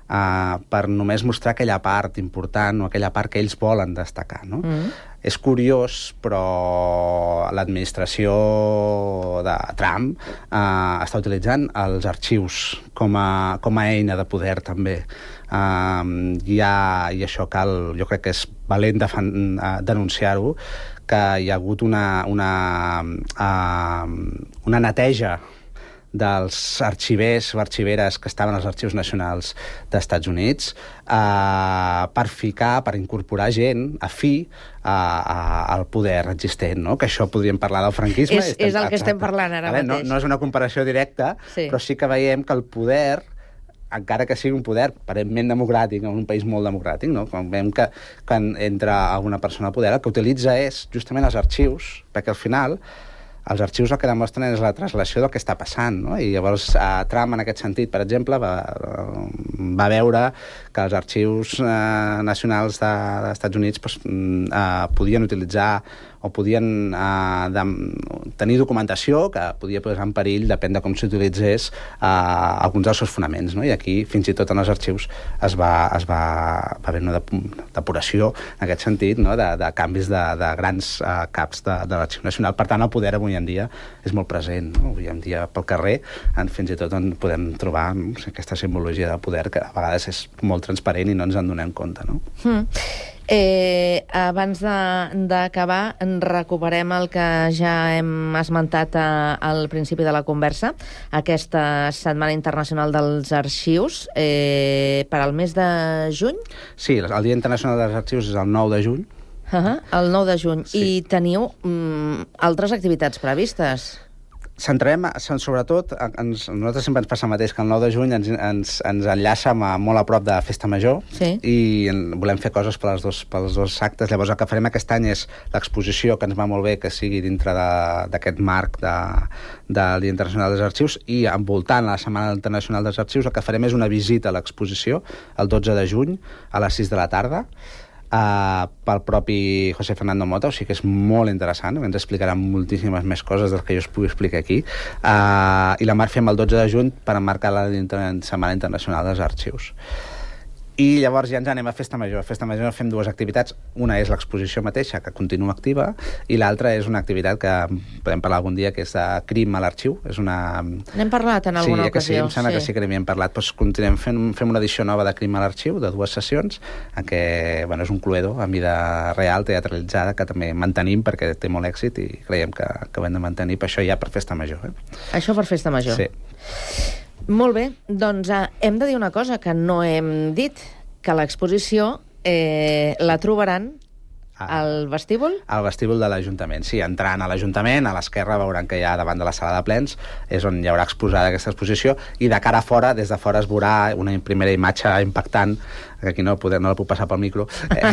eh, per només mostrar aquella part important o aquella part que ells volen destacar, no? Mm. És curiós, però l'administració de Trump eh, està utilitzant els arxius com a, com a eina de poder, també. Uh, hi ha, i això cal, jo crec que és valent de fan, uh, denunciar-ho, que hi ha hagut una, una, uh, una neteja dels arxivers o arxiveres que estaven als arxius nacionals dels Estats Units eh, per ficar, per incorporar gent afí a, a, al poder existent, no? Que això podríem parlar del franquisme. És, és el que estem parlant ara mateix. No, no és una comparació directa, sí. Però sí que veiem que el poder, encara que sigui un poder aparentment democràtic, en un país molt democràtic, no? Quan veiem que quan entra alguna persona al poder, el que utilitza és justament els arxius, perquè al final els arxius el que demostren és la translació del que està passant, no? I llavors eh, Trump, en aquest sentit, per exemple, va, va veure que els arxius eh, nacionals de, dels Estats Units pues, eh, podien utilitzar o podien eh, de, tenir documentació que podia posar en perill, depèn de com s'utilitzés, eh, alguns dels seus fonaments, no? I aquí, fins i tot en els arxius, es va, es va, va haver una depuració, en aquest sentit, no? de, de canvis de, de grans eh, caps de, de l'Arxiu Nacional. Per tant, el poder avui en dia és molt present, no? Avui en dia pel carrer, en, fins i tot on podem trobar no sé, aquesta simbologia del poder que a vegades és molt transparent i no ens en donem compte, no? Mm. Eh, abans d'acabar, recuperem el que ja hem esmentat a, al principi de la conversa, aquesta Setmana Internacional dels Arxius, eh, per al mes de juny? Sí, el Dia Internacional dels Arxius és el nou de juny. Uh-huh, el nou de juny. Sí. I teniu mm, altres activitats previstes? Centrem, sobretot, ens, nosaltres sempre ens passa el mateix, que el nou de juny ens, ens, ens enllaça amb, molt a prop de Festa Major, sí. I volem fer coses pels dos, pels dos actes. Llavors el que farem aquest any és l'exposició, que ens va molt bé que sigui dintre d'aquest marc de, del Dia Internacional dels Arxius, i envoltant la Setmana Internacional dels Arxius el que farem és una visita a l'exposició el dotze de juny a les sis de la tarda, Uh, pel propi José Fernando Mota, o sigui que és molt interessant, ens explicarà moltíssimes més coses del que jo us pugui explicar aquí, uh, i la Mar fem el dotze de juny per emmarcar la Setmana Internacional dels Arxius. I llavors ja ens anem a Festa Major. A Festa Major fem dues activitats. Una és l'exposició mateixa, que continua activa, i l'altra és una activitat que podem parlar algun dia, que és de crim a l'arxiu. És una... N'hem parlat en alguna sí, ocasió. Sí, em sembla sí. que sí que n'hem parlat. Doncs continuem fent, fem una edició nova de crim a l'arxiu, de dues sessions, en què bueno, és un cluedo a mida real, teatralitzada, que també mantenim perquè té molt èxit i creiem que, que ho hem de mantenir. Per això ja per Festa Major. Eh? Això per Festa Major. Sí. Molt bé, doncs eh, hem de dir una cosa que no hem dit, que l'exposició eh, la trobaran al vestíbul? Al vestíbul de l'Ajuntament, sí. Entrant a l'Ajuntament, a l'esquerra veuran que hi ha davant de la sala de plens, és on hi haurà exposada aquesta exposició, i de cara a fora, des de fora es veurà una primera imatge impactant, que aquí no, poder, no la puc passar pel micro, eh,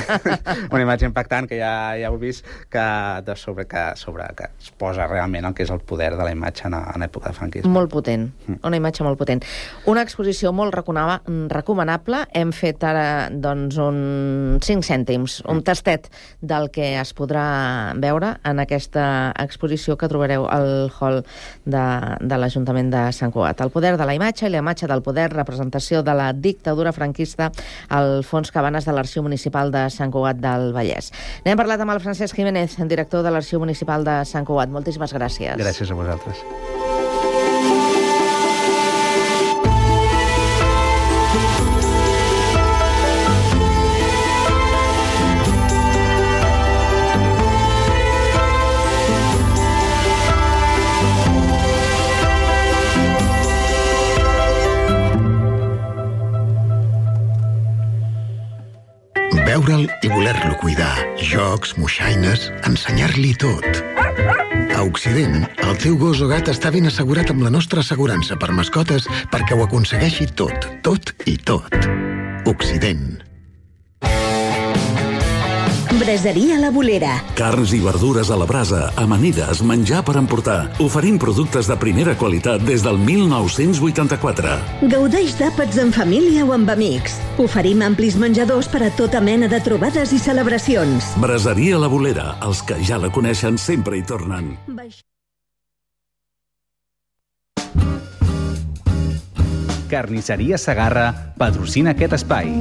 una imatge impactant que ja, ja heu vist, que, de sobre, que, sobre, que es posa realment el que és el poder de la imatge en, en època de franquisme. Molt potent, una imatge molt potent. Una exposició molt recomanable. Hem fet ara doncs, un cinc cèntims, un tastet del que es podrà veure en aquesta exposició que trobareu al hall de, de l'Ajuntament de Sant Cugat. El poder de la imatge i la imatge del poder, representació de la dictadura franquista al fons Cabanes de l'Arxiu Municipal de Sant Cugat del Vallès. N'hem parlat amb el Francesc Jiménez, director de l'Arxiu Municipal de Sant Cugat. Moltíssimes gràcies. Gràcies a vosaltres. Veure'l i voler-lo cuidar. Jocs, moixaines, ensenyar-li tot. A Occident, el teu gos o gat està ben assegurat amb la nostra assegurança per mascotes perquè ho aconsegueixi tot, tot i tot. Occident. Braseria La Bolera. Carns i verdures a la brasa, amanides, menjar per emportar. Oferim productes de primera qualitat des del mil nou-cents vuitanta-quatre. Gaudeix d'àpats en família o amb amics. Oferim amplis menjadors per a tota mena de trobades i celebracions. Braseria La Bolera. Els que ja la coneixen sempre hi tornen. Carnisseria Segarra patrocina aquest espai.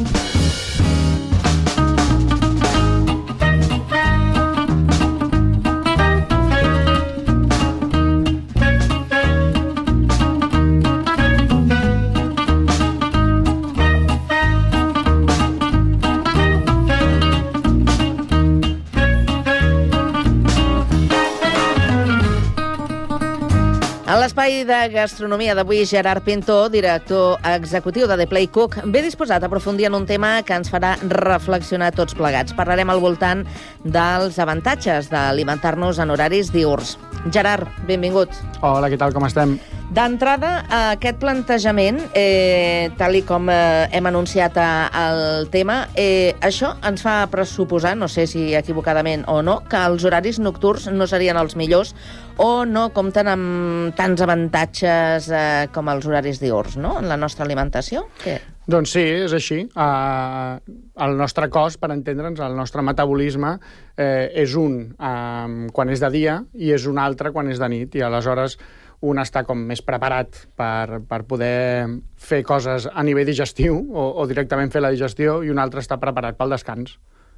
A l'espai de gastronomia d'avui, Gerard Pinto, director executiu de The Play Cook, ve disposat a aprofundir en un tema que ens farà reflexionar tots plegats. Parlarem al voltant dels avantatges d'alimentar-nos en horaris diürns. Gerard, benvingut. Hola, què tal, com estem? D'entrada, aquest plantejament, eh, tal i com eh, hem anunciat el tema, eh, això ens fa pressuposar, no sé si equivocadament o no, que els horaris nocturns no serien els millors o no compten amb tants avantatges eh, com els horaris diürns, no?, en la nostra alimentació. Què? Doncs sí, és així. Uh, el nostre cos, per entendre'ns, el nostre metabolisme eh, és un um, quan és de dia i és un altre quan és de nit, i aleshores un està com més preparat per, per poder fer coses a nivell digestiu o, o directament fer la digestió, i un altre està preparat pel descans.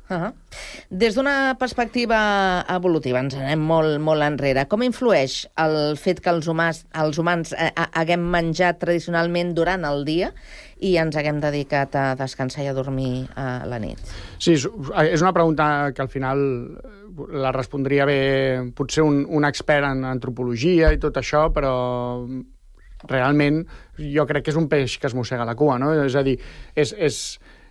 Uh-huh. Des d'una perspectiva evolutiva, ens anem molt, molt enrere, com influeix el fet que els humans, els humans eh, haguem menjat tradicionalment durant el dia i ens haguem dedicat a descansar i a dormir a la nit? Sí, és una pregunta que al final la respondria bé potser un, un expert en antropologia i tot això, però realment jo crec que és un peix que es mossega la cua, no? És a dir, és... és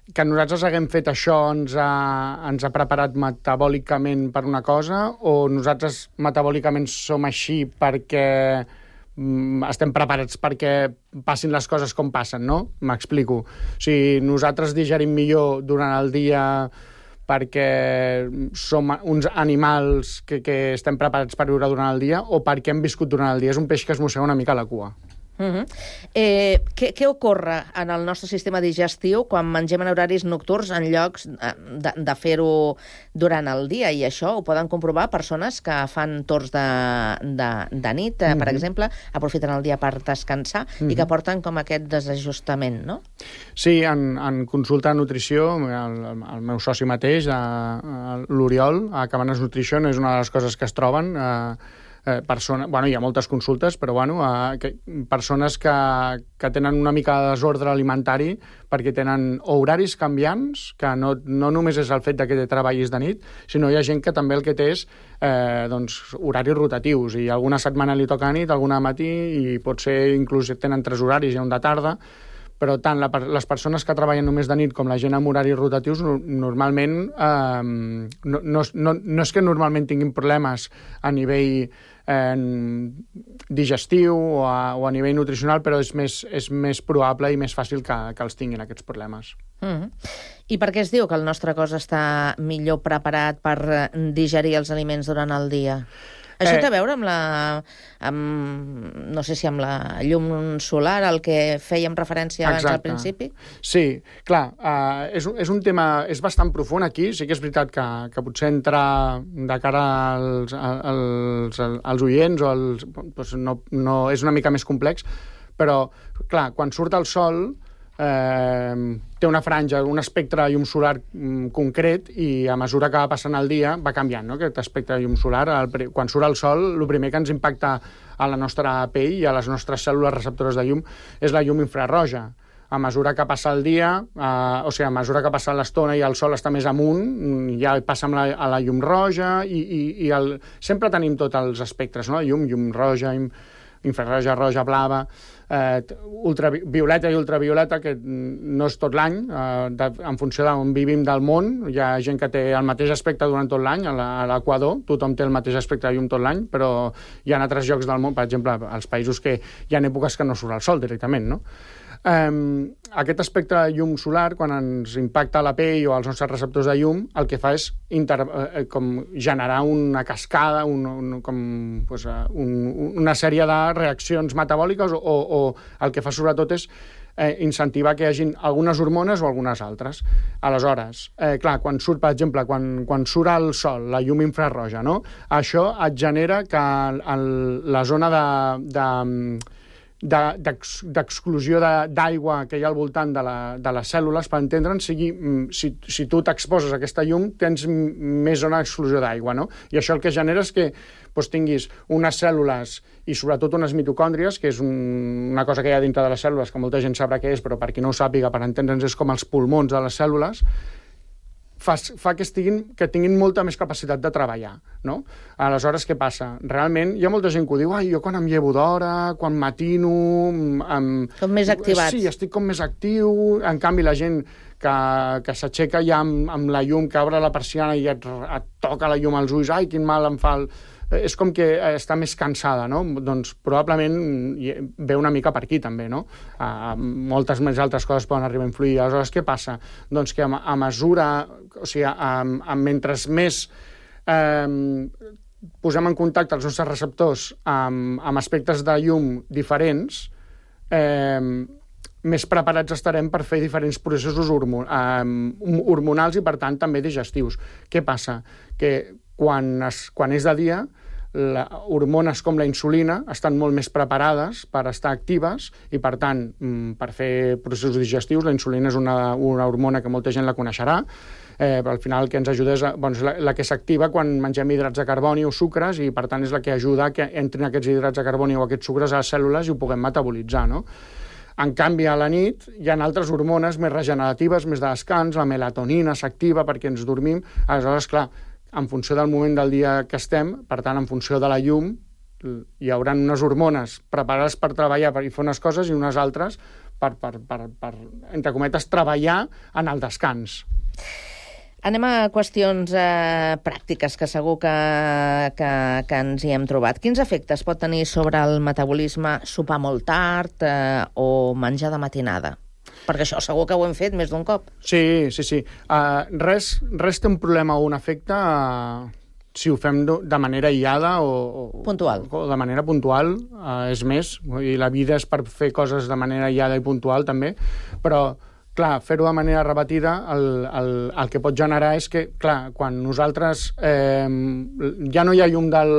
que nosaltres haguem fet això ens ha, ens ha preparat metabòlicament per una cosa, o nosaltres metabòlicament som així perquè mm, estem preparats perquè passin les coses com passen, no? M'explico. O sigui, nosaltres digerim millor durant el dia perquè som uns animals que, que estem preparats per viure durant el dia, o perquè hem viscut durant el dia. És un peix que es mossega una mica la cua. Uh-huh. eh, què, què ocorre en el nostre sistema digestiu quan mengem en horaris nocturns en llocs de, de fer-ho durant el dia? I això ho poden comprovar persones que fan torns de, de, de nit, uh-huh. per exemple, aprofiten el dia per descansar, uh-huh. i que porten com aquest desajustament, no? Sí, en, en consulta de nutrició, el, el meu soci mateix, l'Oriol, a Cabanes Nutrition, és una de les coses que es troben. Eh, Eh, persona, bueno, hi ha moltes consultes, però bueno, eh, que, persones que, que tenen una mica de desordre alimentari perquè tenen horaris canviants, que no, no només és el fet de que treballis de nit, sinó hi ha gent que també el que té és eh, doncs, horaris rotatius, i alguna setmana li toca a nit, alguna a matí, i potser inclús tenen tres horaris i un de tarda, però tant la, les persones que treballen només de nit com la gent amb horaris rotatius no, normalment eh, no, no, no, no és que normalment tinguin problemes a nivell eh, digestiu o a, o a nivell nutricional, però és més, és més probable i més fàcil que, que els tinguin aquests problemes. Mm-hmm. I per què es diu que el nostre cos està millor preparat per digerir els aliments durant el dia? Això té a veure amb la... Amb, no sé si amb la llum solar, al que fèiem referència abans al principi? Sí, clar, uh, és, és un tema... És bastant profund aquí, sí que és veritat que, que potser entrar de cara als, als, als oients o als, doncs no, no, és una mica més complex, però, clar, quan surt el sol... Eh, té una franja, un espectre de llum solar mm, concret, i a mesura que va passant el dia va canviant, no? Aquest espectre de llum solar. El, quan surt el sol, el primer que ens impacta a la nostra pell i a les nostres cèl·lules receptores de llum és la llum infraroja. A mesura que passa el dia, eh, o sigui, a mesura que passa l'estona i el sol està més amunt, ja passa amb la, a la llum roja, i, i, i el, sempre tenim tots els espectres, no? Llum, llum roja, infraroja, roja, blava, eh, ultravioleta i ultravioleta, que no és tot l'any, eh, en funció d'on vivim del món. Hi ha gent que té el mateix aspecte durant tot l'any, a l'Equador tothom té el mateix aspecte de llum tot l'any, però hi ha altres llocs del món, per exemple, als països que hi ha èpoques que no surt el sol directament, no? Um, aquest aspecte de llum solar, quan ens impacta la pell o els nostres receptors de llum, el que fa és inter, eh, com generar una cascada, un, un, com, pues, un, una sèrie de reaccions metabòliques, o, o el que fa sobretot és eh, incentivar que hi hagin algunes hormones o algunes altres. Aleshores, eh, clar, quan surt, per exemple, quan, quan surt el sol, la llum infraroja, no? Això et genera que el, el, la zona de... de d'exclusió d'aigua que hi ha al voltant de, la, de les cèl·lules, per entendre'n, sigui, si, si tu t'exposes a aquesta llum, tens més zona d'exclusió d'aigua, no? I això el que genera és que doncs, tinguis unes cèl·lules i sobretot unes mitocòndries, que és un, una cosa que hi ha dintre de les cèl·lules, que molta gent sabrà què és, però per qui no ho sàpiga, per entendre'ns, és com els pulmons de les cèl·lules, fa, fa que, estiguin, que tinguin molta més capacitat de treballar, no? Aleshores, què passa? Realment, hi ha molta gent que ho diu, ai, jo quan em llevo d'hora, quan matino... Em... Com més activats. Sí, estic com més actiu. En canvi, la gent que, que s'aixeca ja amb, amb la llum, que obre la persiana i et, et toca la llum als ulls, ai, quin mal em fa el... És com que està més cansada, no? Doncs probablement ve una mica per aquí, també, no? Uh, moltes més altres coses poden arribar a influir. Aleshores, què passa? Doncs que a, a mesura... O sigui, a, a, mentre més eh, posem en contacte els nostres receptors amb, amb aspectes de llum diferents, eh, més preparats estarem per fer diferents processos hormonals i, per tant, també digestius. Què passa? Que quan, es, quan és de dia, la, hormones com la insulina estan molt més preparades per estar actives i, per tant, per fer processos digestius, la insulina és una, una hormona que molta gent la coneixerà, eh, però al final el que ens ajuda és, bueno, és la, la que s'activa quan mengem hidrats de carboni o sucres i, per tant, és la que ajuda que entrin aquests hidrats de carboni o aquests sucres a les cèl·lules i ho puguem metabolitzar, no? En canvi, a la nit hi ha altres hormones més regeneratives, més de descans, la melatonina s'activa perquè ens dormim. Aleshores, clar, en funció del moment del dia que estem, per tant, en funció de la llum, hi haurà unes hormones preparades per treballar i fer unes coses i unes altres per, per, per, per entre cometes, treballar en el descans. Anem a qüestions eh, pràctiques, que segur que, que, que ens hi hem trobat. Quins efectes pot tenir sobre el metabolisme sopar molt tard eh, o menjar de matinada? Perquè això segur que ho hem fet més d'un cop. Sí, sí, sí. Uh, res, res té un problema o un efecte uh, si ho fem de manera aïllada o, o, puntual. o de manera puntual. Uh, és més, i la vida és per fer coses de manera aïllada i puntual també, però clar, fer-ho de manera repetida, el, el, el que pot generar és que, clar, quan nosaltres eh, ja no hi ha llum del,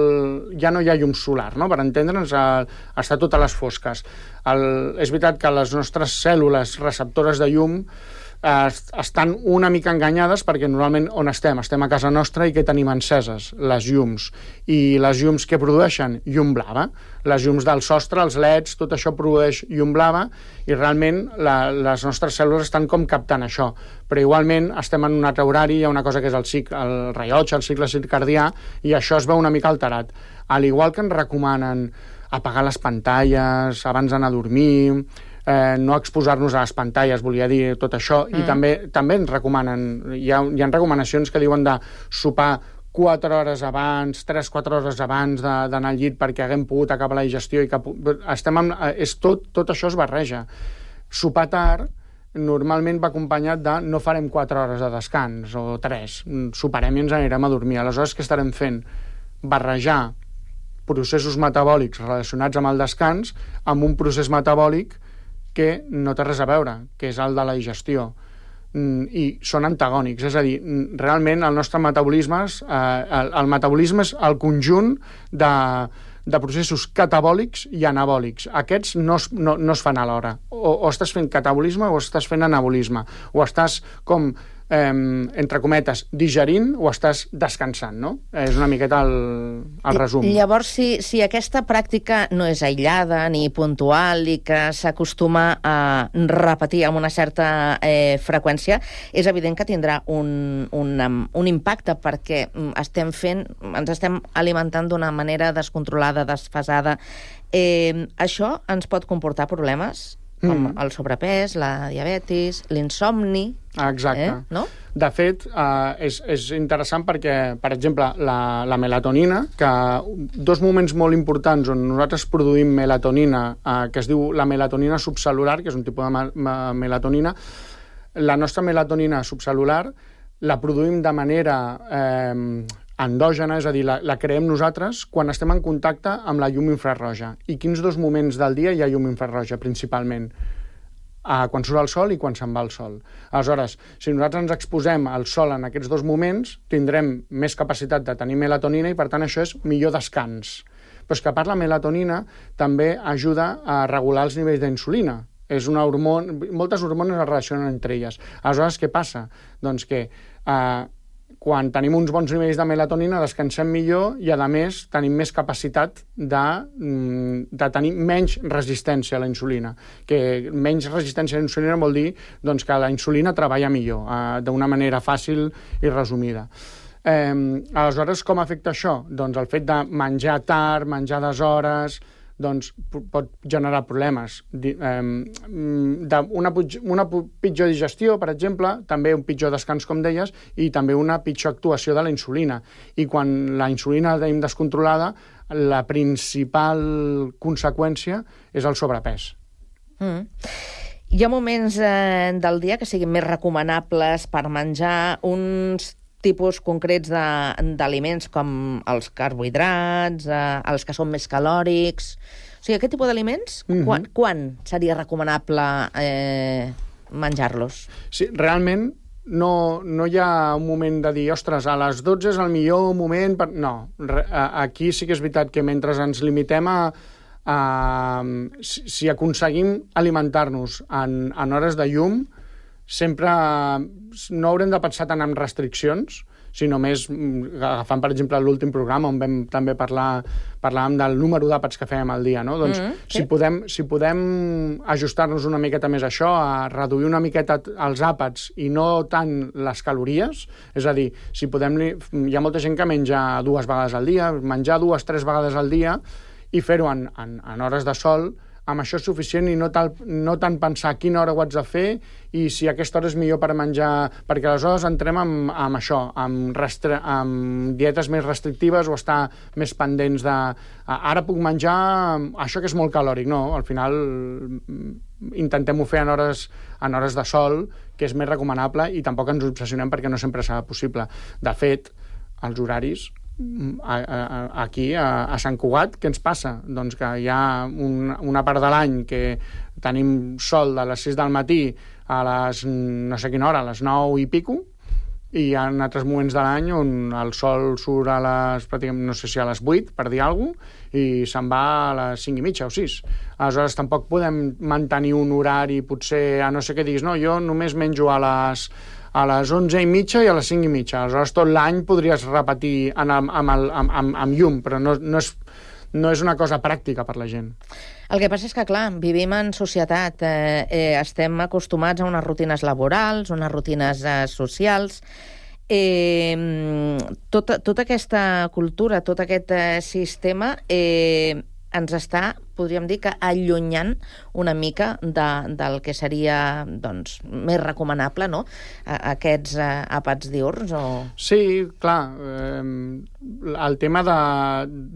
ja no hi ha llum solar, no? Per entendre'ns, està tot a les fosques. El, és veritat que les nostres cèl·lules receptores de llum eh, estan una mica enganyades perquè normalment on estem? Estem a casa nostra i què tenim enceses? Les llums. I les llums que produeixen? Llum blava. Les llums del sostre, els leds, tot això produeix llum blava i realment la, les nostres cèl·lules estan com captant això. Però igualment estem en un altre horari, hi ha una cosa que és el, cic, el rellotge, el cicle circadià, i això es veu una mica alterat. Al igual que ens recomanen apagar les pantalles abans d'anar a dormir, eh, no exposar-nos a les pantalles, volia dir tot això, mm. i també, també ens recomanen, hi ha, hi ha recomanacions que diuen de sopar quatre hores abans, tres quatre hores abans d'anar al llit perquè haguem pogut acabar la digestió i que estem amb, és tot, tot això es barreja. Sopar tard normalment va acompanyat de no farem quatre hores de descans o tres, soparem i ens anirem a dormir. Aleshores, què estarem fent? Barrejar processos metabòlics relacionats amb el descans amb un procés metabòlic que no té res a veure, que és el de la digestió. I són antagònics, és a dir, realment el nostre metabolisme, eh, el, el metabolisme és el conjunt de, de processos catabòlics i anabòlics. Aquests no es, no, no es fan alhora. O, o estàs fent catabolisme o estàs fent anabolisme. O estàs com, eh, entre cometes, digerint o estàs descansant, no? És una miqueta el, el resum. Llavors, si, si aquesta pràctica no és aïllada ni puntual i que s'acostuma a repetir amb una certa eh, freqüència, és evident que tindrà un, un, un impacte perquè estem fent, ens estem alimentant d'una manera descontrolada, desfasada. Eh, això ens pot comportar problemes? Com mm. el sobrepès, la diabetis, l'insomni... Exacte. Eh? No? De fet, eh, és, és interessant perquè, per exemple, la, la melatonina, que dos moments molt importants on nosaltres produïm melatonina, eh, que es diu la melatonina subcelular, que és un tipus de me me melatonina, la nostra melatonina subcelular la produïm de manera... Eh, endògena, és a dir, la, la creem nosaltres quan estem en contacte amb la llum infrarroja. I quins dos moments del dia hi ha llum infrarroja, principalment? Ah, quan surt el sol i quan se'n va el sol. Aleshores, si nosaltres ens exposem al sol en aquests dos moments, tindrem més capacitat de tenir melatonina i, per tant, això és millor descans. Però és que, a part, la melatonina també ajuda a regular els nivells d'insulina. És una hormona... Moltes hormones es relacionen entre elles. Aleshores, què passa? Doncs que... Eh, quan tenim uns bons nivells de melatonina descansem millor i, a més, tenim més capacitat de, de tenir menys resistència a la insulina. Que menys resistència a la insulina vol dir doncs, que la insulina treballa millor, eh, d'una manera fàcil i resumida. Eh, aleshores, com afecta això? Doncs el fet de menjar tard, menjar deshores... doncs pot generar problemes. Una, una pitjor digestió, per exemple, també un pitjor descans, com deies, i també una pitjor actuació de la insulina. I quan la insulina la tenim descontrolada, la principal conseqüència és el sobrepès. Mm. Hi ha moments eh, del dia que siguin més recomanables per menjar uns tipus concrets d'aliments com els carbohidrats, eh, els que són més calòrics, O sigui, aquest tipus d'aliments, mm-hmm. quan, quan seria recomanable eh, menjar-los? Sí, realment no, no hi ha un moment de dir, ostres, a les dotze és el millor moment... Per... No, re, aquí sí que és veritat que mentre ens limitem a... a si, si aconseguim alimentar-nos en, en hores de llum, sempre no haurem de pensar tant en restriccions, si només agafant, per exemple, l'últim programa on vam també parlar parlàvem del número d'àpats que fèiem al dia, no? Doncs mm, sí. si, podem, si podem ajustar-nos una miqueta més a això, a reduir una miqueta els àpats i no tant les calories, és a dir, si podem... Hi ha molta gent que menja dues vegades al dia, menjar dues, tres vegades al dia i fer-ho en, en, en hores de sol, amb això és suficient i no, tal, no tant pensar a quina hora ho haig de fer i si aquesta hora és millor per menjar... Perquè aleshores entrem amb, amb això, amb, restre, amb dietes més restrictives o estar més pendents de... Ara puc menjar això que és molt calòric. No, al final intentem-ho fer en hores, en hores de sol, que és més recomanable, i tampoc ens obsessionem perquè no sempre serà possible. De fet, els horaris... A, a, aquí, a, a Sant Cugat, què ens passa? Doncs que hi ha un, una part de l'any que tenim sol de les sis del matí a les no sé quina hora, a les nou i pico, i hi ha altres moments de l'any on el sol surt a les, pràcticament, no sé si a les vuit, per dir alguna cosa, i se'n va a les cinc i mitja o sis. Aleshores, tampoc podem mantenir un horari, potser, a no ser que diguis, no, jo només menjo a les... a les onze i mitja i a les cinc i mitja. Aleshores, tot l'any podries repetir en el, amb, el, amb, amb, amb llum, però no, no, és, no és una cosa pràctica per la gent. El que passa és que, clar, vivim en societat, eh, eh, estem acostumats a unes rutines laborals, unes rutines eh, socials. Eh, tota, tota aquesta cultura, tot aquest eh, sistema... Eh, ens està, podríem dir, que allunyant una mica de, del que seria doncs, més recomanable, no? Aquests eh, àpats diürns o... Sí, clar. Eh, el tema de,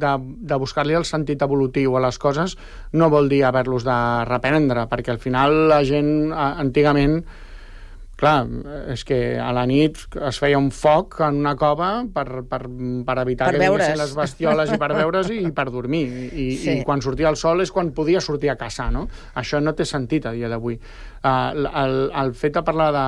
de, de buscar-li el sentit evolutiu a les coses no vol dir haver-los de reprendre, perquè al final la gent, antigament, clar, és que a la nit es feia un foc en una cova per, per, per evitar per que vinguessin les bestioles i per veure's i, i per dormir. I, sí. I quan sortia el sol és quan podia sortir a caçar, no? Això no té sentit a dia d'avui. Uh, el, el fet de parlar de,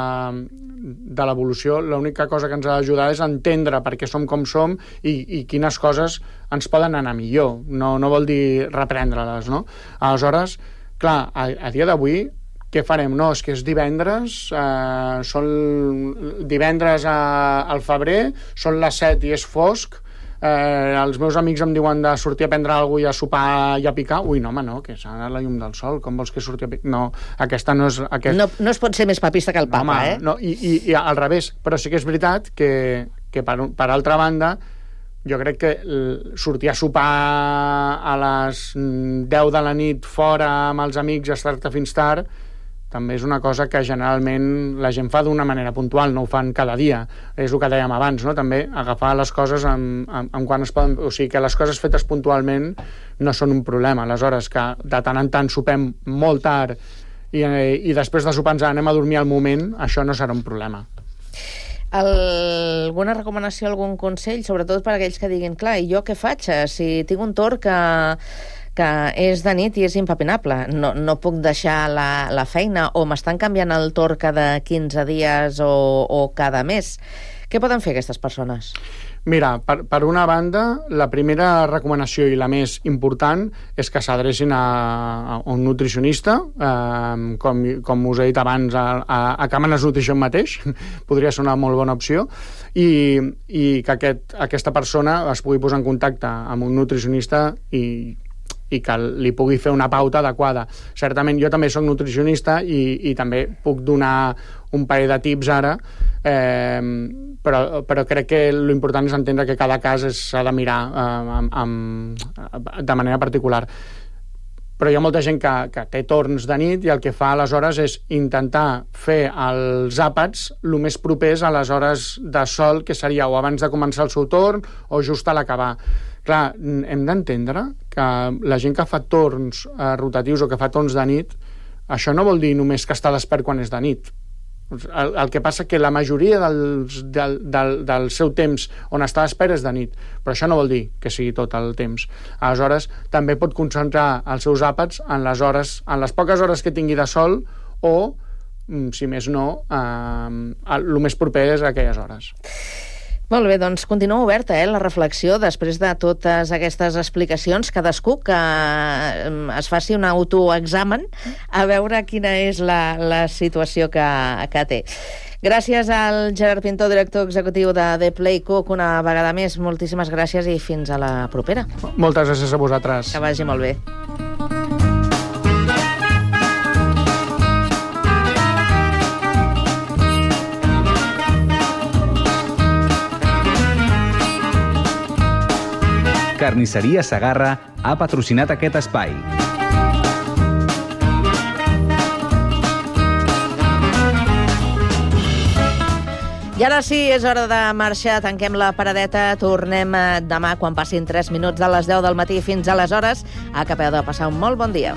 de l'evolució, l'única cosa que ens ha d'ajudar és entendre per què som com som i, i quines coses ens poden anar millor. No, no vol dir reprendre-les, no? Aleshores, clar, a, a dia d'avui què farem? No, és que és divendres, eh, són divendres a, al febrer, són les set i és fosc, eh, els meus amics em diuen de sortir a prendre alguna cosa i a sopar i a picar. Ui, no, home, no, que s'ha anat la llum del sol, com vols que surti a picar? No, aquesta no és... Aquest... No, no es pot ser més papista que el papa, no, home, eh? No, i, i, i al revés, però sí que és veritat que, que per, per altra banda, jo crec que sortir a sopar a les deu de la nit fora amb els amics i estar-te fins tard també és una cosa que generalment la gent fa d'una manera puntual, no ho fan cada dia. És el que dèiem abans, no? També agafar les coses amb, amb, amb quan es poden... O sigui, que les coses fetes puntualment no són un problema. Aleshores, que de tant en tant sopem molt tard i, i després de sopar ens anem a dormir al moment, això no serà un problema. El, alguna recomanació, algun consell, sobretot per a aquells que diguin, clar, i jo què faig? Si tinc un torn que... que és de nit i és impepinable. No, no puc deixar la, la feina o m'estan canviant el torn cada quinze dies o, o cada mes. Què poden fer aquestes persones? Mira, per, per una banda, la primera recomanació i la més important és que s'adrecin a, a un nutricionista, eh, com, com us he dit abans, a, a, a Càmanes Nutrition mateix, podria ser una molt bona opció, i, i que aquest, aquesta persona es pugui posar en contacte amb un nutricionista i i que li pugui fer una pauta adequada. Certament jo també soc nutricionista i, i també puc donar un parell de tips ara, eh, però, però crec que l'important és entendre que cada cas s'ha de mirar eh, amb, amb, de manera particular. Però hi ha molta gent que, que té torns de nit i el que fa aleshores és intentar fer els àpats el més propers a les hores de sol, que seria o abans de començar el seu torn o just a l'acabar. Clar, hem d'entendre que la gent que fa torns eh, rotatius o que fa torns de nit, això no vol dir només que està despert quan és de nit. El, el que passa que la majoria dels, del, del, del seu temps on està a l'espera és de nit, però això no vol dir que sigui tot el temps. Aleshores, també pot concentrar els seus àpats en les hores, en les poques hores que tingui de sol o, si més no, eh, el més proper és a aquelles hores. Molt bé, doncs continua oberta eh, la reflexió després de totes aquestes explicacions. Cadascú que es faci un autoexamen a veure quina és la, la situació que, que té. Gràcies al Gerard Pintor, director executiu de The Play Cook, una vegada més. Moltíssimes gràcies i fins a la propera. Moltes gràcies a vosaltres. Que vagi molt bé. Carnisseria Segarra ha patrocinat aquest espai. I ara sí, és hora de marxar. Tanquem la paradeta. Tornem demà quan passin tres minuts de les deu del matí. Fins aleshores, acabeu de passar un molt bon dia.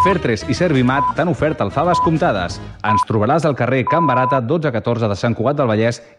Fertres i Servimat t'han ofert alfaves comptades. Ens trobaràs al carrer Can Barata dotze catorze de Sant Cugat del Vallès